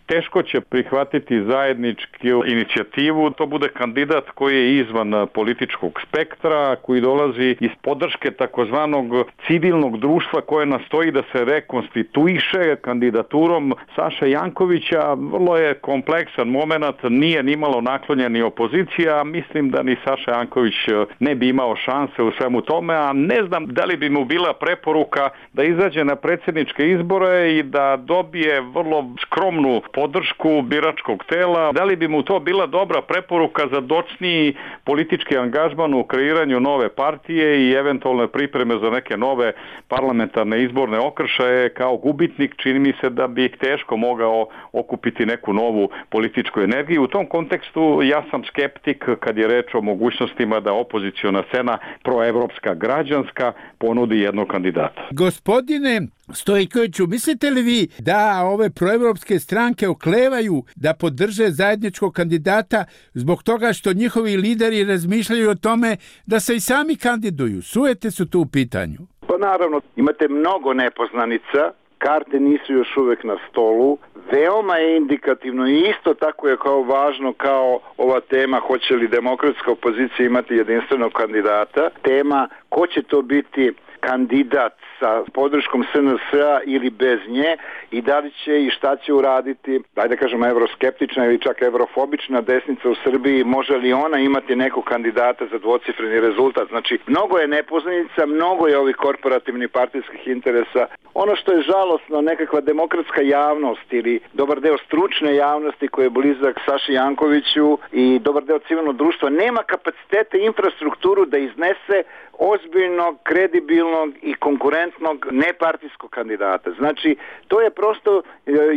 Teško će prihvatiti zajedničku inicijativu, to bude kandidat koji je izvan političkog spektra, koji dolazi iz podrške takozvanog civilnog društva koje nastoji da se rekonstituiše kandidaturom Saše Jankovića. Vrlo je kompleksan moment, nije nimalo naklonjeni opozicija, mislim da ni Saša Janković ne bi imao šanse u svemu tome, a ne znam da li bi mu bila preporuka da izađe na predsjedničke izbore i da dobije vrlo skromnu podršku biračkog tela. Da li bi mu to bila dobra preporuka za docniji politički angažman u kreiranju nove partije i eventualne pripreme za neke nove parlamentarne izborne okršaje kao gubitnik? Čini mi se da bi teško mogao okupiti neku novu političku energiju. U tom kontekstu ja sam skeptik kad je reč o mogućnostima da opoziciona scena proevropska građanska ponudi jednog kandidata. Gospodine Stojkoviću, mislite li vi da ove proevropske stranke oklevaju da podrže zajedničkog kandidata zbog toga što njihovi lideri razmišljaju o tome da se i sami kandiduju? Sujete su tu u pitanju? Pa naravno, imate mnogo nepoznanica, karte nisu još uvek na stolu, veoma je indikativno i isto tako je kao važno kao ova tema hoće li demokratska opozicija imati jedinstvenog kandidata, tema ko će to biti kandidat sa podrškom SNS-a ili bez nje i da li će i šta će uraditi, da kažemo, evroskeptična ili čak evrofobična desnica u Srbiji, može li ona imati nekog kandidata za dvocifreni rezultat. Znači, mnogo je nepoznanica, mnogo je ovih korporativnih partijskih interesa. Ono što je žalosno, nekakva demokratska javnost ili dobar deo stručne javnosti koji je blizak Saši Jankoviću i dobar deo civilnog društva nema kapacitete i infrastrukturu da iznese ozbiljnog, kredibilnog i konkurentnog nepartijskog kandidata. Znači, to je prosto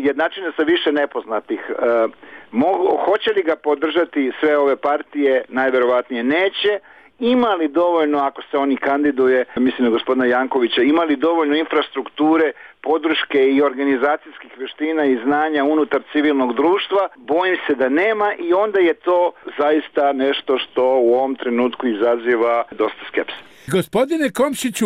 jednačine sa više nepoznatih. Hoće li ga podržati sve ove partije? Najverovatnije neće. Ima li dovoljno, ako se oni kandiduje, mislim na gospodina Jankovića, ima li dovoljno infrastrukture, podrške i organizacijskih veština i znanja unutar civilnog društva? Bojim se da nema i onda je to zaista nešto što u ovom trenutku izaziva dosta skepse. Gospodine Komšiću,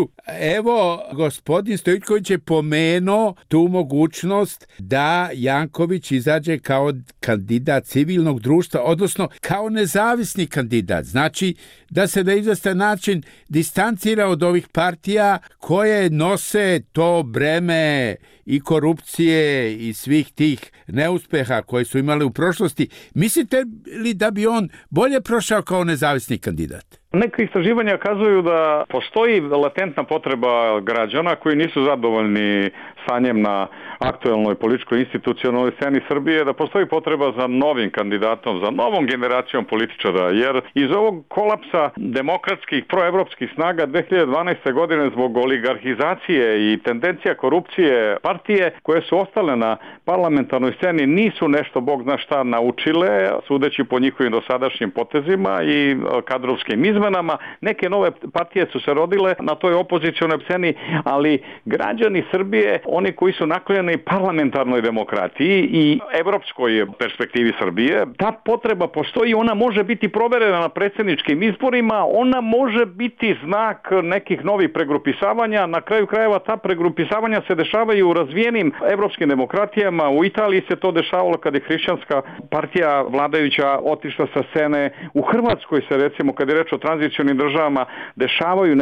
evo, gospodin Stojković je pomenuo tu mogućnost da Janković izađe kao kandidat civilnog društva, odnosno kao nezavisni kandidat. Znači, da se na izvestan način distancira od ovih partija koje nose to breme i korupcije i svih tih neuspeha koje su imali u prošlosti. Mislite li da bi on bolje prošao kao nezavisni kandidat? Neke istraživanja kazuju da postoji latentna potreba građana koji nisu zadovoljni stanjem na aktuelnoj političkoj institucionalnoj sceni Srbije, da postoji potreba za novim kandidatom, za novom generacijom političara, jer iz ovog kolapsa demokratskih proevropskih snaga 2012. godine zbog oligarhizacije i tendencija korupcije partije koje su ostale na parlamentarnoj sceni nisu nešto bog zna šta naučile, sudeći po njihovim dosadašnjim potezima i kadrovskim izmenama. Neke nove partije su se rodile na toj opozicionoj sceni, ali građani Srbije, oni koji su naklonjeni parlamentarnoj demokratiji i evropskoj perspektivi Srbije, ta potreba postoji, ona može biti proverena na predsjedničkim izborima, ona može biti znak nekih novih pregrupisavanja. Na kraju krajeva ta pregrupisavanja se dešavaju u razvijenim evropskim demokratijama. U Italiji se to dešavalo kad je hrišćanska partija vladajuća otišla sa scene. U Hrvatskoj se, recimo, kad je reč o tranzicionim državama, dešavaju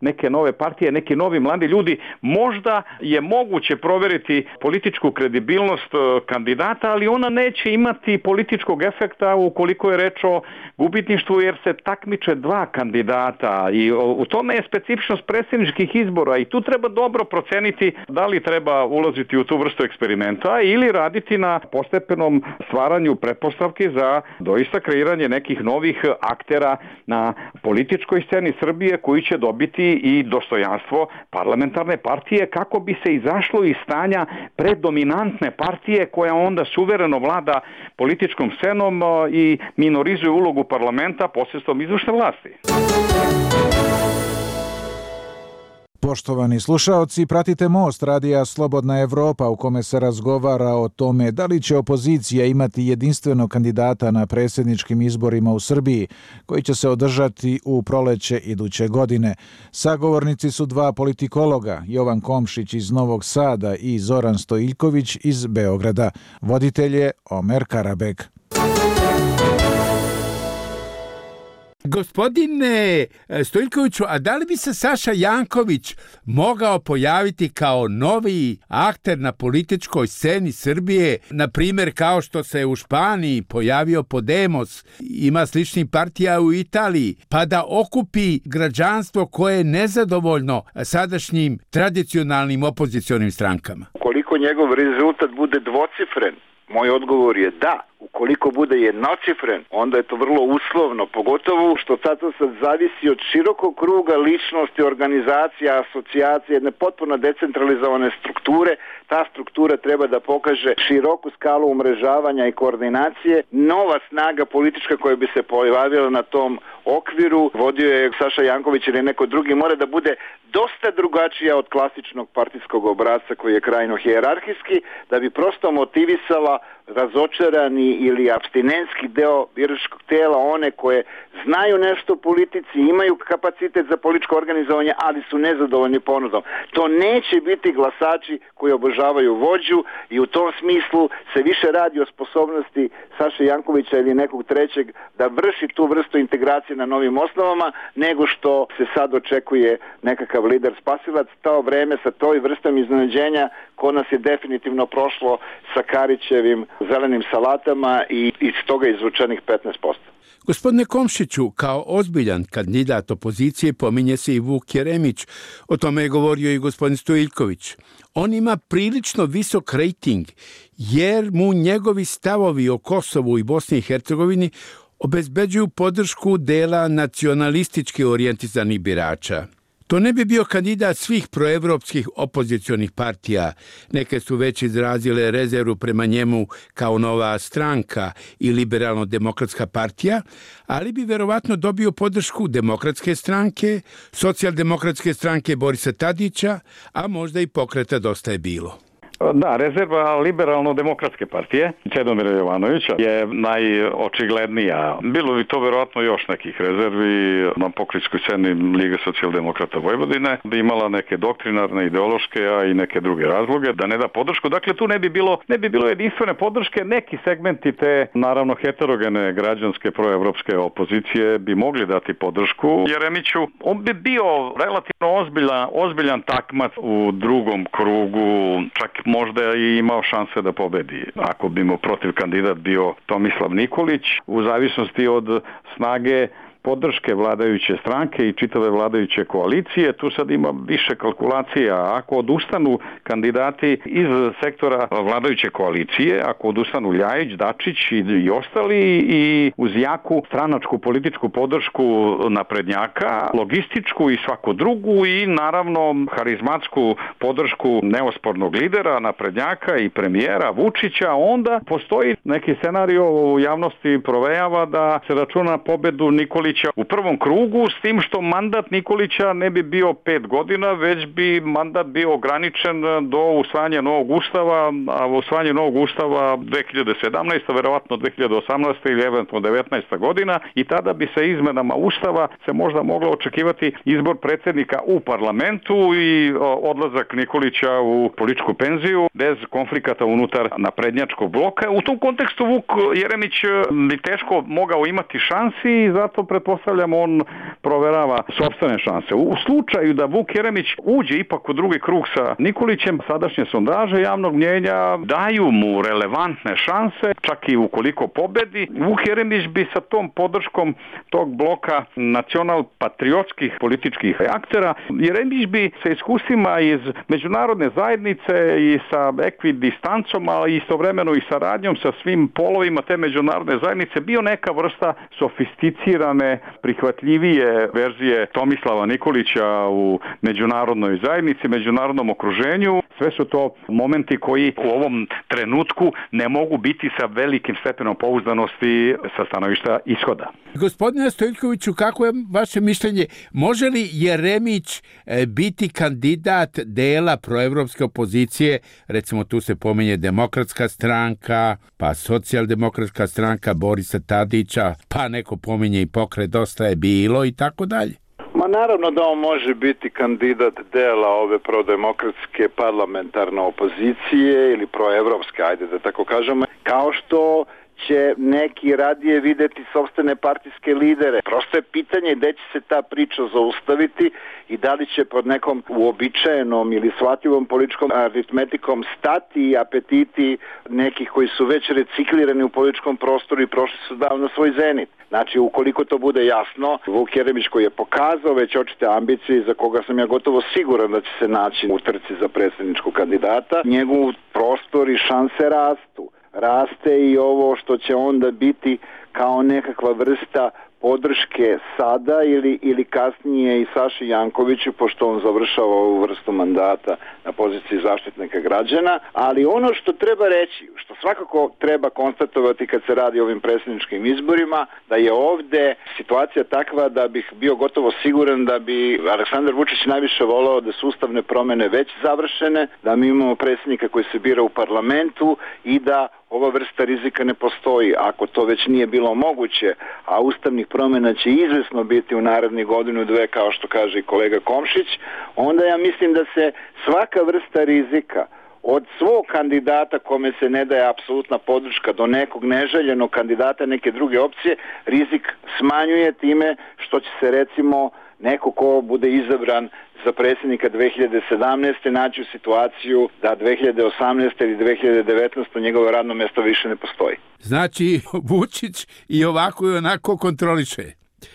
neke nove partije, neki novi mladi ljudi. Možda je moguće proveriti političku kredibilnost kandidata, ali ona neće imati političkog efekta ukoliko je reč o gubitništvu, jer se takmiče dva kandidata i u tome je specifičnost predsjedničkih izbora i tu treba dobro proceniti da li treba ulaziti u tu vrstu eksperimenta ili raditi na postepenom stvaranju pretpostavki za doista kreiranje nekih novih aktera na političkoj sceni Srbije koji će dobiti i dostojanstvo parlamentarne partije kako bi se izašlo iz stanja predominantne partije koja onda suvereno vlada političkom scenom i minorizuje ulogu parlamenta posredstvom izvršne vlasti. Poštovani slušaoci, pratite Most radija Slobodna Evropa u kome se razgovara o tome da li će opozicija imati jedinstvenog kandidata na predsjedničkim izborima u Srbiji, koji će se održati u proleće iduće godine. Sagovornici su dva politikologa, Jovan Komšić iz Novog Sada i Zoran Stojiljković iz Beograda. Voditelj je Omer Karabek. Gospodine Stojiljkoviću, a da li bi se Saša Janković mogao pojaviti kao novi akter na političkoj sceni Srbije, na primjer kao što se u Španiji pojavio Podemos, ima sličnih partija u Italiji, pa da okupi građanstvo koje je nezadovoljno sadašnjim tradicionalnim opozicionim strankama? Koliko njegov rezultat bude dvocifren, moj odgovor je da. Ukoliko bude jednocifren, onda je to vrlo uslovno, pogotovo što sad zavisi od širokog kruga ličnosti, organizacija, asocijacije, jedne potpuno decentralizovane strukture. Ta struktura treba da pokaže široku skalu umrežavanja i koordinacije. Nova snaga politička koja bi se pojavila na tom okviru, vodio je Saša Janković ili neko drugi, mora da bude dosta drugačija od klasičnog partijskog obrasca koji je krajno hijerarhijski, da bi prosto motivisala razočarani ili apstinentski deo biračkog tela, one koje znaju nešto o politici, imaju kapacitet za političko organizovanje, ali su nezadovoljni ponudom. To neće biti glasači koji obožavaju vođu i u tom smislu se više radi o sposobnosti Saše Jankovića ili nekog trećeg da vrši tu vrstu integracije na novim osnovama, nego što se sad očekuje nekakav lider spasilac. To vreme sa toj vrstom iznenađenja kod nas je definitivno prošlo sa Karićevim zelenim salatama i iz toga izvučenih 15%. Gospodine Komšiću, kao ozbiljan kandidat opozicije pominje se i Vuk Jeremić. O tome je govorio i gospodin Stojiljković. On ima prilično visok rejting jer mu njegovi stavovi o Kosovu i Bosni i Hercegovini obezbeđuju podršku dela nacionalistički orijentizanih birača. To ne bi bio kandidat svih proevropskih opozicionih partija. Neke su već izrazile rezervu prema njemu kao Nova stranka i Liberalno-demokratska partija, ali bi verovatno dobio podršku Demokratske stranke, Socijaldemokratske stranke Borisa Tadića, a možda i Pokreta Dosta je bilo. Da, rezerva Liberalno-demokratske partije Čedomira Jovanovića je najočiglednija. Bilo bi to verovatno još nekih rezervi na pokrenjskoj sceni Lige socijaldemokrata Vojvodine, bi imala neke doktrinarne, ideološke, a i neke druge razloge da ne da podršku. Dakle, tu ne bi bilo jedinstvene podrške. Neki segmenti te, naravno, heterogene građanske proevropske opozicije bi mogli dati podršku Jeremiću. On bi bio relativno ozbiljan takmac u drugom krugu, čak možda i imao šanse da pobedi. Ako bi mu protiv kandidat bio Tomislav Nikolić, u zavisnosti od snage podrške vladajuće stranke i čitave vladajuće koalicije, tu sad ima više kalkulacija. Ako odustanu kandidati iz sektora vladajuće koalicije, ako odustanu Ljajić, Dačić i ostali, i uz jaku stranačku političku podršku naprednjaka, logističku i svaku drugu i naravno harizmatsku podršku neospornog lidera naprednjaka i premijera Vučića, onda postoji neki scenario u javnosti provejava da se računa pobedu Nikolića u prvom krugu, s tim što mandat Nikolića ne bi bio 5 godina, već bi mandat bio ograničen do usvajanja novog ustava, a usvajanje novog ustava 2017, verovatno 2018 ili eventualno 19. godina, i tada bi se izmenama ustava se možda moglo očekivati izbor predsjednika u parlamentu i odlazak Nikolića u političku penziju bez konflikata unutar naprednjačkog bloka. U tom kontekstu Vuk Jeremić bi teško mogao imati šansi i zato pretpostavljam on proverava sopstvene šanse. U slučaju da Vuk Jeremić uđe ipak u drugi krug sa Nikolićem, sadašnje sondaže javnog mnjenja daju mu relevantne šanse, čak i ukoliko pobedi. Vuk Jeremić bi sa tom podrškom tog bloka nacional-patriotskih političkih aktera, Jeremić bi sa iskustvima iz međunarodne zajednice i sa ekvidistancom, ali istovremeno i saradnjom sa svim polovima te međunarodne zajednice bio neka vrsta sofisticirane, prihvatljivije verzije Tomislava Nikolića u međunarodnoj zajednici, međunarodnom okruženju. Sve su to momenti koji u ovom trenutku ne mogu biti sa velikim stepenom pouzdanosti sa stanovišta ishoda. Gospodine Stojiljkoviću, kako je vaše mišljenje? Može li Jeremić biti kandidat dela proevropske opozicije? Recimo tu se pominje Demokratska stranka, pa Socijaldemokratska stranka Borisa Tadića, pa neko pominje i Pokret Dosta je bilo i tako dalje. Ma naravno da on može biti kandidat dela ove prodemokratske parlamentarne opozicije ili proevropske, ajde da tako kažemo, kao što će neki radije videti sopstvene partijske lidere. Prosto je pitanje gde će se ta priča zaustaviti i da li će pod nekom uobičajenom ili shvatljivom političkom aritmetikom stati apetiti nekih koji su već reciklirani u političkom prostoru i prošli su davno svoj zenit. Znači, ukoliko to bude jasno, Vuk Jeremić koji je pokazao već očite ambicije, za koga sam ja gotovo siguran da će se naći u trci za predsjedničkog kandidata, njegov prostor i šanse rastu. Raste i ovo što će onda biti kao nekakva vrsta podrške sada ili kasnije i Saši Jankoviću, pošto on završava ovu vrstu mandata na poziciji zaštitnika građana, ali ono što treba reći, što svakako treba konstatovati kad se radi o ovim predsjedničkim izborima, da je ovde situacija takva da bih bio gotovo siguran da bi Aleksandar Vučić najviše voleo da su ustavne promene već završene, da mi imamo predsjednika koji se bira u parlamentu i da ova vrsta rizika ne postoji. Ako to već nije bilo moguće, a ustavnih promjena će izvesno biti u narednih godinu, dve, kao što kaže i kolega Komšić, onda ja mislim da se svaka vrsta rizika od svog kandidata kome se ne daje apsolutna podrška do nekog neželjenog kandidata neke druge opcije, rizik smanjuje time što će se recimo neko ko bude izabran za predsjednika 2017. naći u situaciju da 2018. ili 2019. njegovo radno mjesto više ne postoji. Znači, Vučić i ovako i onako kontroliše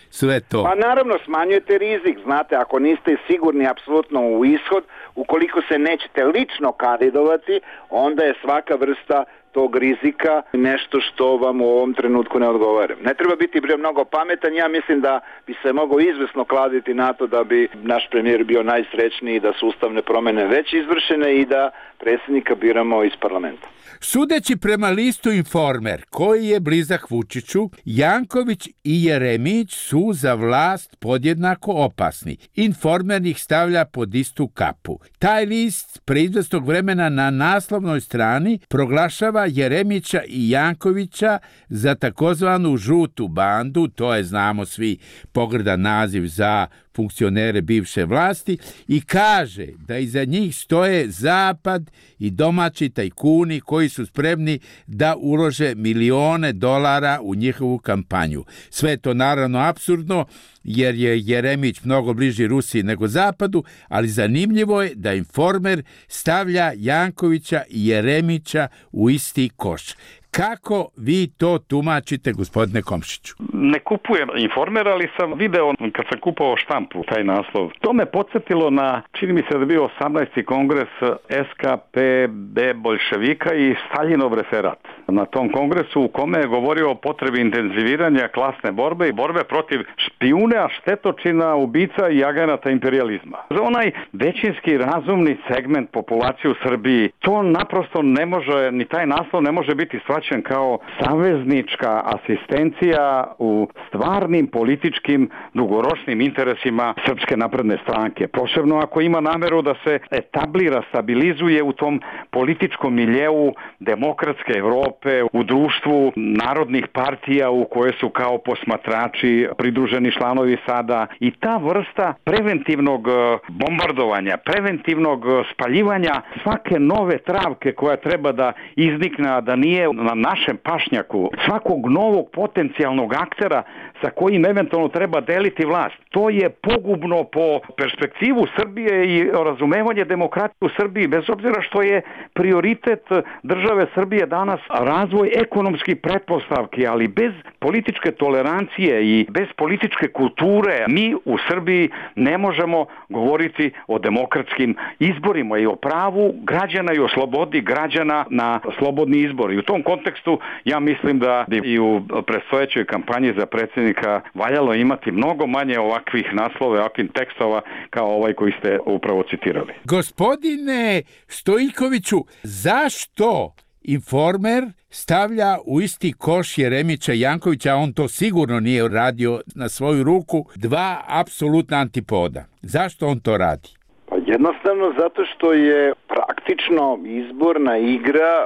sve to. Pa naravno, smanjujete rizik. Znate, ako niste sigurni apsolutno u ishod, ukoliko se nećete lično kandidovati, onda je svaka vrsta tog rizika nešto što vam u ovom trenutku ne odgovara. Ne treba biti mnogo pametan, ja mislim da bi se mogao izvesno kladiti na to da bi naš premijer bio najsrećniji, da su ustavne promjene već izvršene i da predsjednika biramo iz parlamenta. Sudeći prema listu Informer, koji je blizak Vučiću, Janković i Jeremić su za vlast podjednako opasni. Informer ih stavlja pod istu kapu. Taj list pre izvesnog vremena na naslovnoj strani proglašava Jeremića i Jankovića za takozvanu žutu bandu, to je, znamo svi, pogrdan naziv za funkcionere bivše vlasti, i kaže da iza njih stoje Zapad i domaći tajkuni koji su spremni da ulože milione dolara u njihovu kampanju. Sve je to naravno apsurdno, jer je Jeremić mnogo bliži Rusiji nego Zapadu, ali zanimljivo je da Informer stavlja Jankovića i Jeremića u isti koš. Kako vi to tumačite, gospodine Komšiću? Ne kupujem Informer, ali sam video kad sam kupovao štampu taj naslov. To me podsjetilo na, čini mi se da je bio 18. kongres SKPB Boljševika i Staljinov referat. Na tom kongresu u kome je govorio o potrebi intenziviranja klasne borbe i borbe protiv špijuna, štetočina, ubica i agenata imperijalizma. Za onaj većinski razumni segment populacije u Srbiji, to naprosto ne može, ni taj naslov ne može biti shvaćen kao saveznička asistencija u stvarnim političkim dugoročnim interesima Srpske napredne stranke. Posebno ako ima nameru da se etablira, stabilizuje u tom političkom miljeu demokratske Evrope, u društvu narodnih partija u koje su kao posmatrači pridruženi članovi sada. I ta vrsta preventivnog bombardovanja, preventivnog spaljivanja svake nove travke koja treba da iznikne, a da nije na našem pašnjaku, svakog novog potencijalnog aktera sa kojim eventualno treba deliti vlast. To je pogubno po perspektivu Srbije i razumevanje demokratije u Srbiji, bez obzira što je prioritet države Srbije danas razvoj ekonomskih pretpostavki, ali bez političke tolerancije i bez političke kulture mi u Srbiji ne možemo govoriti o demokratskim izborima i o pravu građana i o slobodi građana na slobodni izbor. I u tom kontekstu ja mislim da i u predstojećoj kampanji za predsjednika valjalo imati mnogo manje ovakvih naslova, ovakvih tekstova kao ovaj koji ste upravo citirali. Gospodine Stojkoviću, zašto Informer stavlja u isti koš Jeremića i Jankovića, a on to sigurno nije radio na svoju ruku, dva apsolutna antipoda? Zašto on to radi? Pa jednostavno zato što je praktično izborna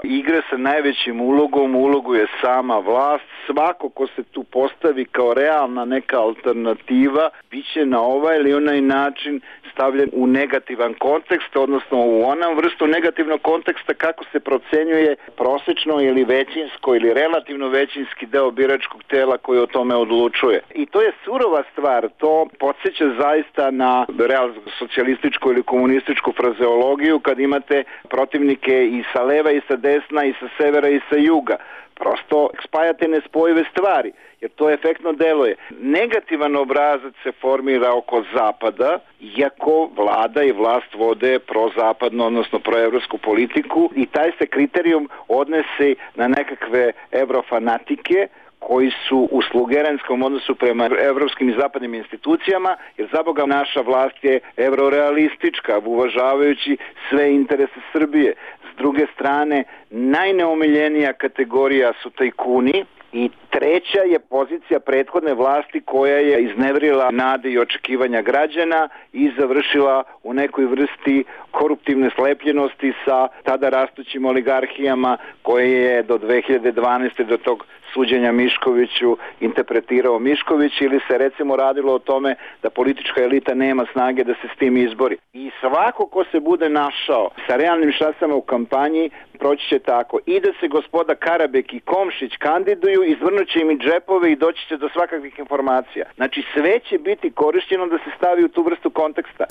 igra sa najvećim ulogom, ulogu je sama vlast. Svako ko se tu postavi kao realna neka alternativa biće na ovaj ili onaj način stavljen u negativan kontekst, odnosno u onom vrstu negativnog konteksta kako se procenjuje prosečno ili većinsko ili relativno većinski deo biračkog tela koji o tome odlučuje. I to je surova stvar, to podsjeća zaista na real socijalističku ili komunističku frazeologiju kad imate protivnike i sa leva i sa desna i sa severa i sa juga. Prosto spajate nespojive stvari, jer to efektno deluje. Negativan obrazac se formira oko Zapada, iako vlada i vlast vode prozapadno, odnosno proevropsku politiku, i taj se kriterijum odnese na nekakve evrofanatike koji su u slugerenskom odnosu prema evropskim i zapadnim institucijama, jer za Boga naša vlast je eurorealistička, uvažavajući sve interese Srbije. S druge strane, najneomiljenija kategorija su tajkuni, i treća je pozicija prethodne vlasti koja je izneverila nade i očekivanja građana i završila u nekoj vrsti koruptivne slepljenosti sa tada rastućim oligarhijama koje je do 2012. do tog suđenja Miškoviću interpretirao Mišković, ili se recimo radilo o tome da politička elita nema snage da se s tim izbori. I svako ko se bude našao sa realnim šansama u kampanji proći će tako. I da se gospoda Karabek i Komšić kandiduju, izvrnut će im i džepove i doći će do svakakvih informacija. Znači sve će biti korišćeno da se stavi u tu vrstu konteksta.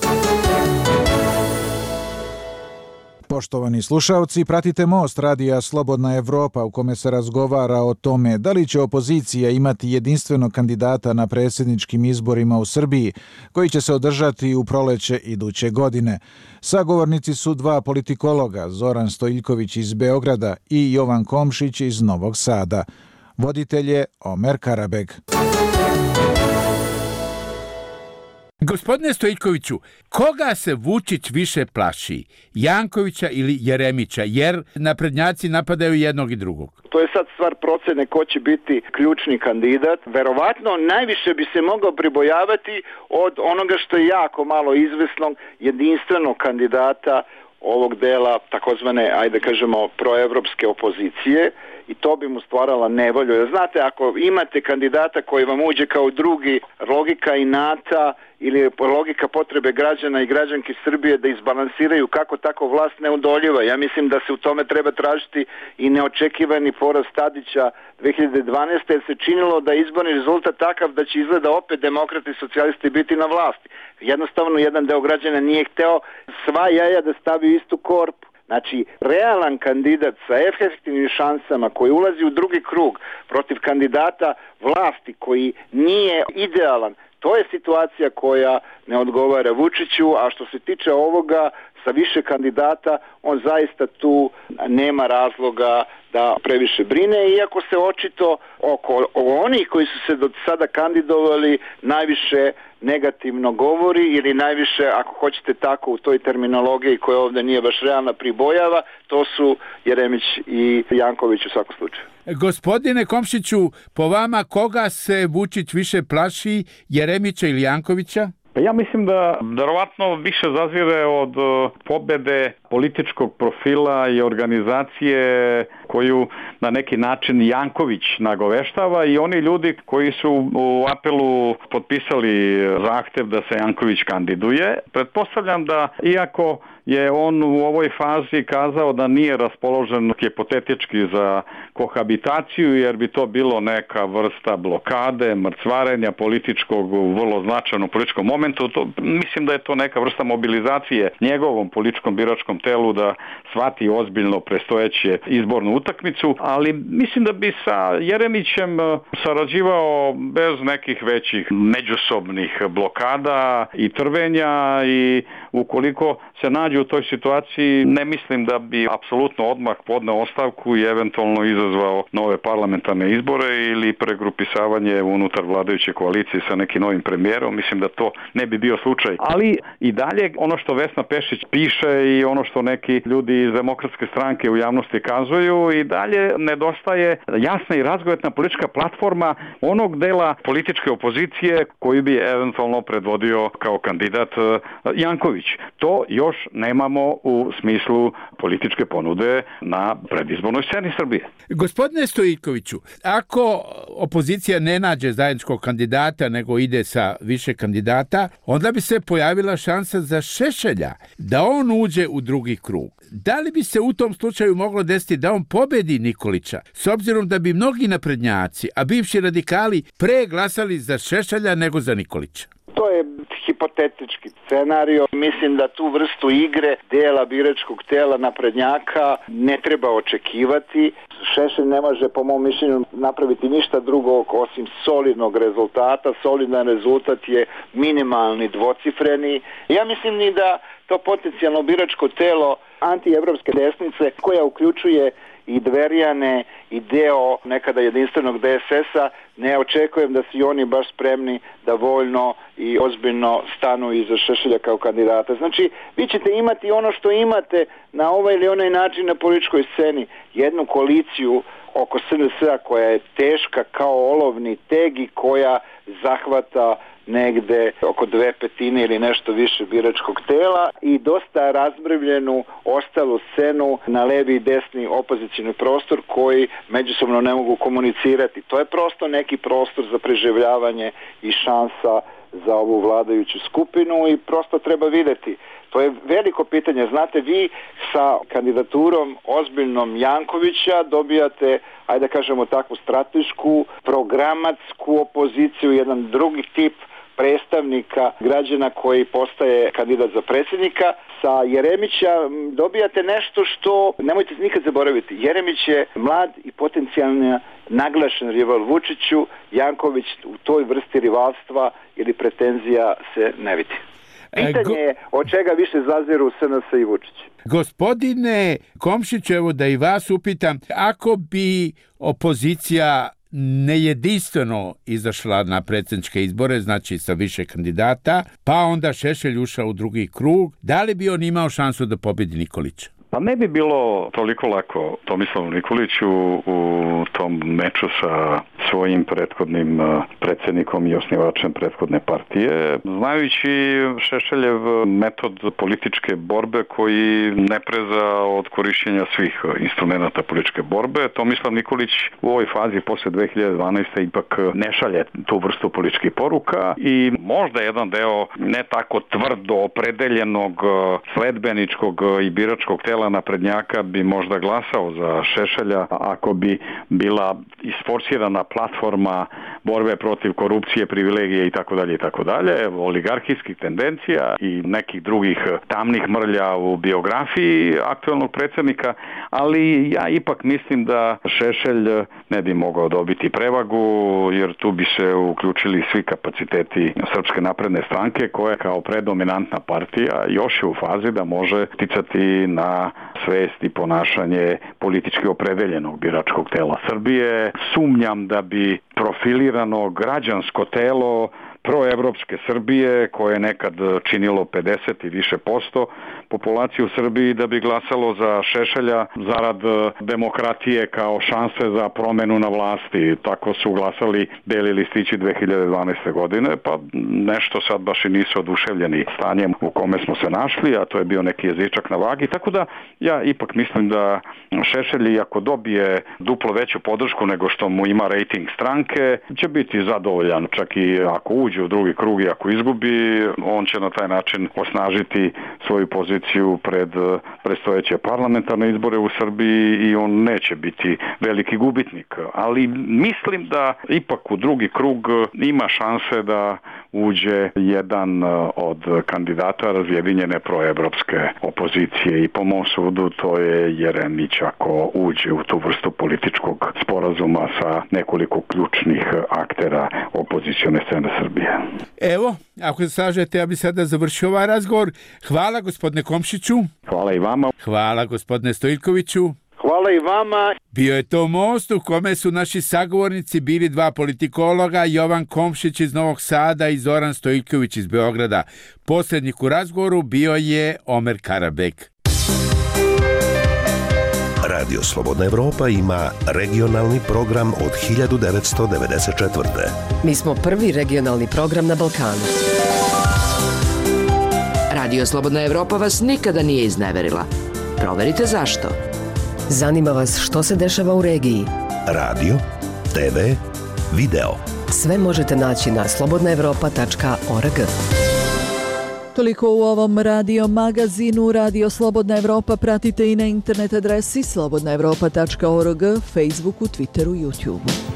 Poštovani slušalci, pratite Most radija Slobodna Evropa u kome se razgovara o tome da li će opozicija imati jedinstvenog kandidata na predsjedničkim izborima u Srbiji, koji će se održati u proleće iduće godine. Sagovornici su dva politikologa, Zoran Stojiljković iz Beograda i Jovan Komšić iz Novog Sada. Voditelj je Omer Karabeg. Gospodine Stojiljkoviću, koga se Vučić više plaši? Jankovića ili Jeremića? Jer naprednjaci napadaju jednog i drugog. To je sad stvar procene ko će biti ključni kandidat. Verovatno najviše bi se mogao pribojavati od onoga što je jako malo izvesnog jedinstvenog kandidata ovog dela takozvane, ajde kažemo, proevropske opozicije, i to bi mu stvarala nevolju. Jer znate, ako imate kandidata koji vam uđe kao drugi, logika inata ili logika potrebe građana i građanki Srbije da izbalansiraju kako tako vlast neodoljiva. Ja mislim da se u tome treba tražiti i neočekivani poraz Tadića 2012. jer se činilo da je izborni rezultat takav da će izgleda opet demokrati i socijalisti biti na vlasti. Jednostavno jedan deo građana nije hteo sva jaja da stavi u istu korpu. Znači, realan kandidat sa efektivnim šansama koji ulazi u drugi krug protiv kandidata vlasti koji nije idealan, to je situacija koja ne odgovara Vučiću, a što se tiče ovoga sa više kandidata, on zaista tu nema razloga da previše brine, iako se očito oko onih koji su se do sada kandidovali najviše negativno govori, ili najviše, ako hoćete tako u toj terminologiji koja ovdje nije baš realna, pribojava, to su Jeremić i Janković u svakom slučaju. Gospodine Komšiću, po vama koga se Vučić više plaši, Jeremića ili Jankovića? Ja mislim da verovatno više zazire od pobede političkog profila i organizacije koju na neki način Janković nagoveštava, i oni ljudi koji su u apelu potpisali zahtev da se Janković kandiduje. Pretpostavljam da iako je on u ovoj fazi kazao da nije raspoložen hipotetički za kohabitaciju, jer bi to bilo neka vrsta blokade, mrcvarenja političkog u vrlo značajnom političkom momentu. Mislim da je to neka vrsta mobilizacije njegovom političkom biračkom telu da shvati ozbiljno predstojeće izbornu utakmicu, ali mislim da bi sa Jeremićem sarađivao bez nekih većih međusobnih blokada i trvenja, i ukoliko se nađe u toj situaciji, ne mislim da bi apsolutno odmah podneo ostavku i eventualno izazvao nove parlamentarne izbore ili pregrupisavanje unutar vladajuće koalicije sa nekim novim premijerom. Mislim da to ne bi bio slučaj. Ali i dalje ono što Vesna Pešić piše i ono što neki ljudi iz Demokratske stranke u javnosti kazuju, i dalje nedostaje jasna i razgovetna politička platforma onog dela političke opozicije koji bi eventualno predvodio kao kandidat Janković. To još nemamo u smislu političke ponude na predizbornoj sceni Srbije. Gospodine Stojiljkoviću, ako opozicija ne nađe zajedničkog kandidata nego ide sa više kandidata, onda bi se pojavila šansa za Šešelja da on uđe u drugi krug. Da li bi se u tom slučaju moglo desiti da on pobedi Nikolića, s obzirom da bi mnogi naprednjaci, a bivši radikali, pre glasali za Šešelja nego za Nikolića? To je hipotetički scenario. Mislim da tu vrstu igre dela biračkog tela naprednjaka ne treba očekivati. Šešelj ne može, po mom mišljenju, napraviti ništa drugo osim solidnog rezultata. Solidan rezultat je minimalni dvocifreni. Ja mislim ni da to potencijalno biračko telo antievropske desnice, koja uključuje i Dverjane i deo nekada jedinstvenog DSS-a, ne očekujem da su oni baš spremni da voljno i ozbiljno stanu iza Šešelja kao kandidata. Znači, vi ćete imati ono što imate na ovaj ili onaj način na političkoj sceni, jednu koaliciju oko SNS-a koja je teška kao olovni teg i koja zahvata negde oko 2/5 ili nešto više biračkog tela i dosta razmrvljenu ostalu scenu na levi i desni opozicioni prostor koji međusobno ne mogu komunicirati. To je prosto neki prostor za preživljavanje i šansa za ovu vladajuću skupinu i prosto treba vidjeti. To je veliko pitanje. Znate, vi sa kandidaturom ozbiljnom Jankovića dobijate, ajde da kažemo takvu stratešku, programatsku opoziciju, jedan drugi tip predstavnika građana koji postaje kandidat za predsjednika. Sa Jeremića dobijate nešto što, nemojte nikad zaboraviti, Jeremić je mlad i potencijalno naglašen rival Vučiću, Janković u toj vrsti rivalstva ili pretenzija se ne vidi. Pitanje je od čega više zaziru SNS i Vučić. Gospodine Komšiću, evo da i vas upitam, ako bi opozicija nejedinstveno izašla na predsjedničke izbore, znači sa više kandidata, pa onda Šešelj ušao u drugi krug, da li bi on imao šansu da pobjedi Nikolića? Pa ne bi bilo toliko lako Tomislavu Nikoliću u tom meču sa svojim prethodnim predsjednikom i osnivačem prethodne partije. Znajući Šešeljev metod političke borbe koji ne preza od korišćenja svih instrumenta političke borbe, Tomislav Nikolić u ovoj fazi posle 2012. ipak ne šalje tu vrstu političkih poruka i možda jedan deo ne tako tvrdo opredeljenog sledbeničkog i biračkog tela naprednjaka bi možda glasao za Šešelja ako bi bila isforsirana platforma borbe protiv korupcije, privilegije itd., oligarhijskih tendencija i nekih drugih tamnih mrlja u biografiji aktualnog predsjednika, ali ja ipak mislim da Šešelj ne bi mogao dobiti prevagu, jer tu bi se uključili svi kapaciteti Srpske napredne stranke, koja kao predominantna partija još je u fazi da može ticati na svest i ponašanje politički opredeljenog biračkog tela Srbije. Sumnjam da bi profilirano građansko telo proevropske Srbije, koje je nekad činilo 50 i više posto populacije u Srbiji, da bi glasalo za Šešelja zarad demokratije kao šanse za promenu na vlasti. Tako su glasali beli listići 2012. godine, pa nešto sad baš i nisu oduševljeni stanjem u kome smo se našli, a to je bio neki jezičak na vagi. Tako da ja ipak mislim da Šešelj, iako dobije duplo veću podršku nego što mu ima rejting stranke, će biti zadovoljan, čak i ako uđe u drugi krug i ako izgubi, on će na taj način osnažiti svoju poziciju pred predstojeće parlamentarne izbore u Srbiji i on neće biti veliki gubitnik. Ali mislim da ipak u drugi krug ima šanse da uđe jedan od kandidata razjedinjene proevropske opozicije i po mom sudu to je Jeremić ako uđe u tu vrstu političkog sporazuma sa nekoliko ključnih aktera opozicione scene Srbije. Evo, ako se slažete, ja bi sada završio ovaj razgovor. Hvala gospodine Komšiću. Hvala i vama. Hvala gospodine Stojiljkoviću. Hvala i vama. Bio je to most u kome su naši sagovornici bili dva politikologa, Jovan Komšić iz Novog Sada i Zoran Stojiljković iz Beograda. Posljednjik u razgovoru bio je Omer Karabek. Radio Slobodna Evropa ima regionalni program od 1994. Mi smo prvi regionalni program na Balkanu. Radio Slobodna Evropa vas nikada nije izneverila. Proverite zašto. Zanima vas što se dešava u regiji. Radio, TV, video. Sve možete naći na slobodnaevropa.org. Toliko u ovom radio magazinu. Radio Slobodna Evropa pratite i na internet adresi slobodnaevropa.org, Facebooku, Twitteru, YouTubeu.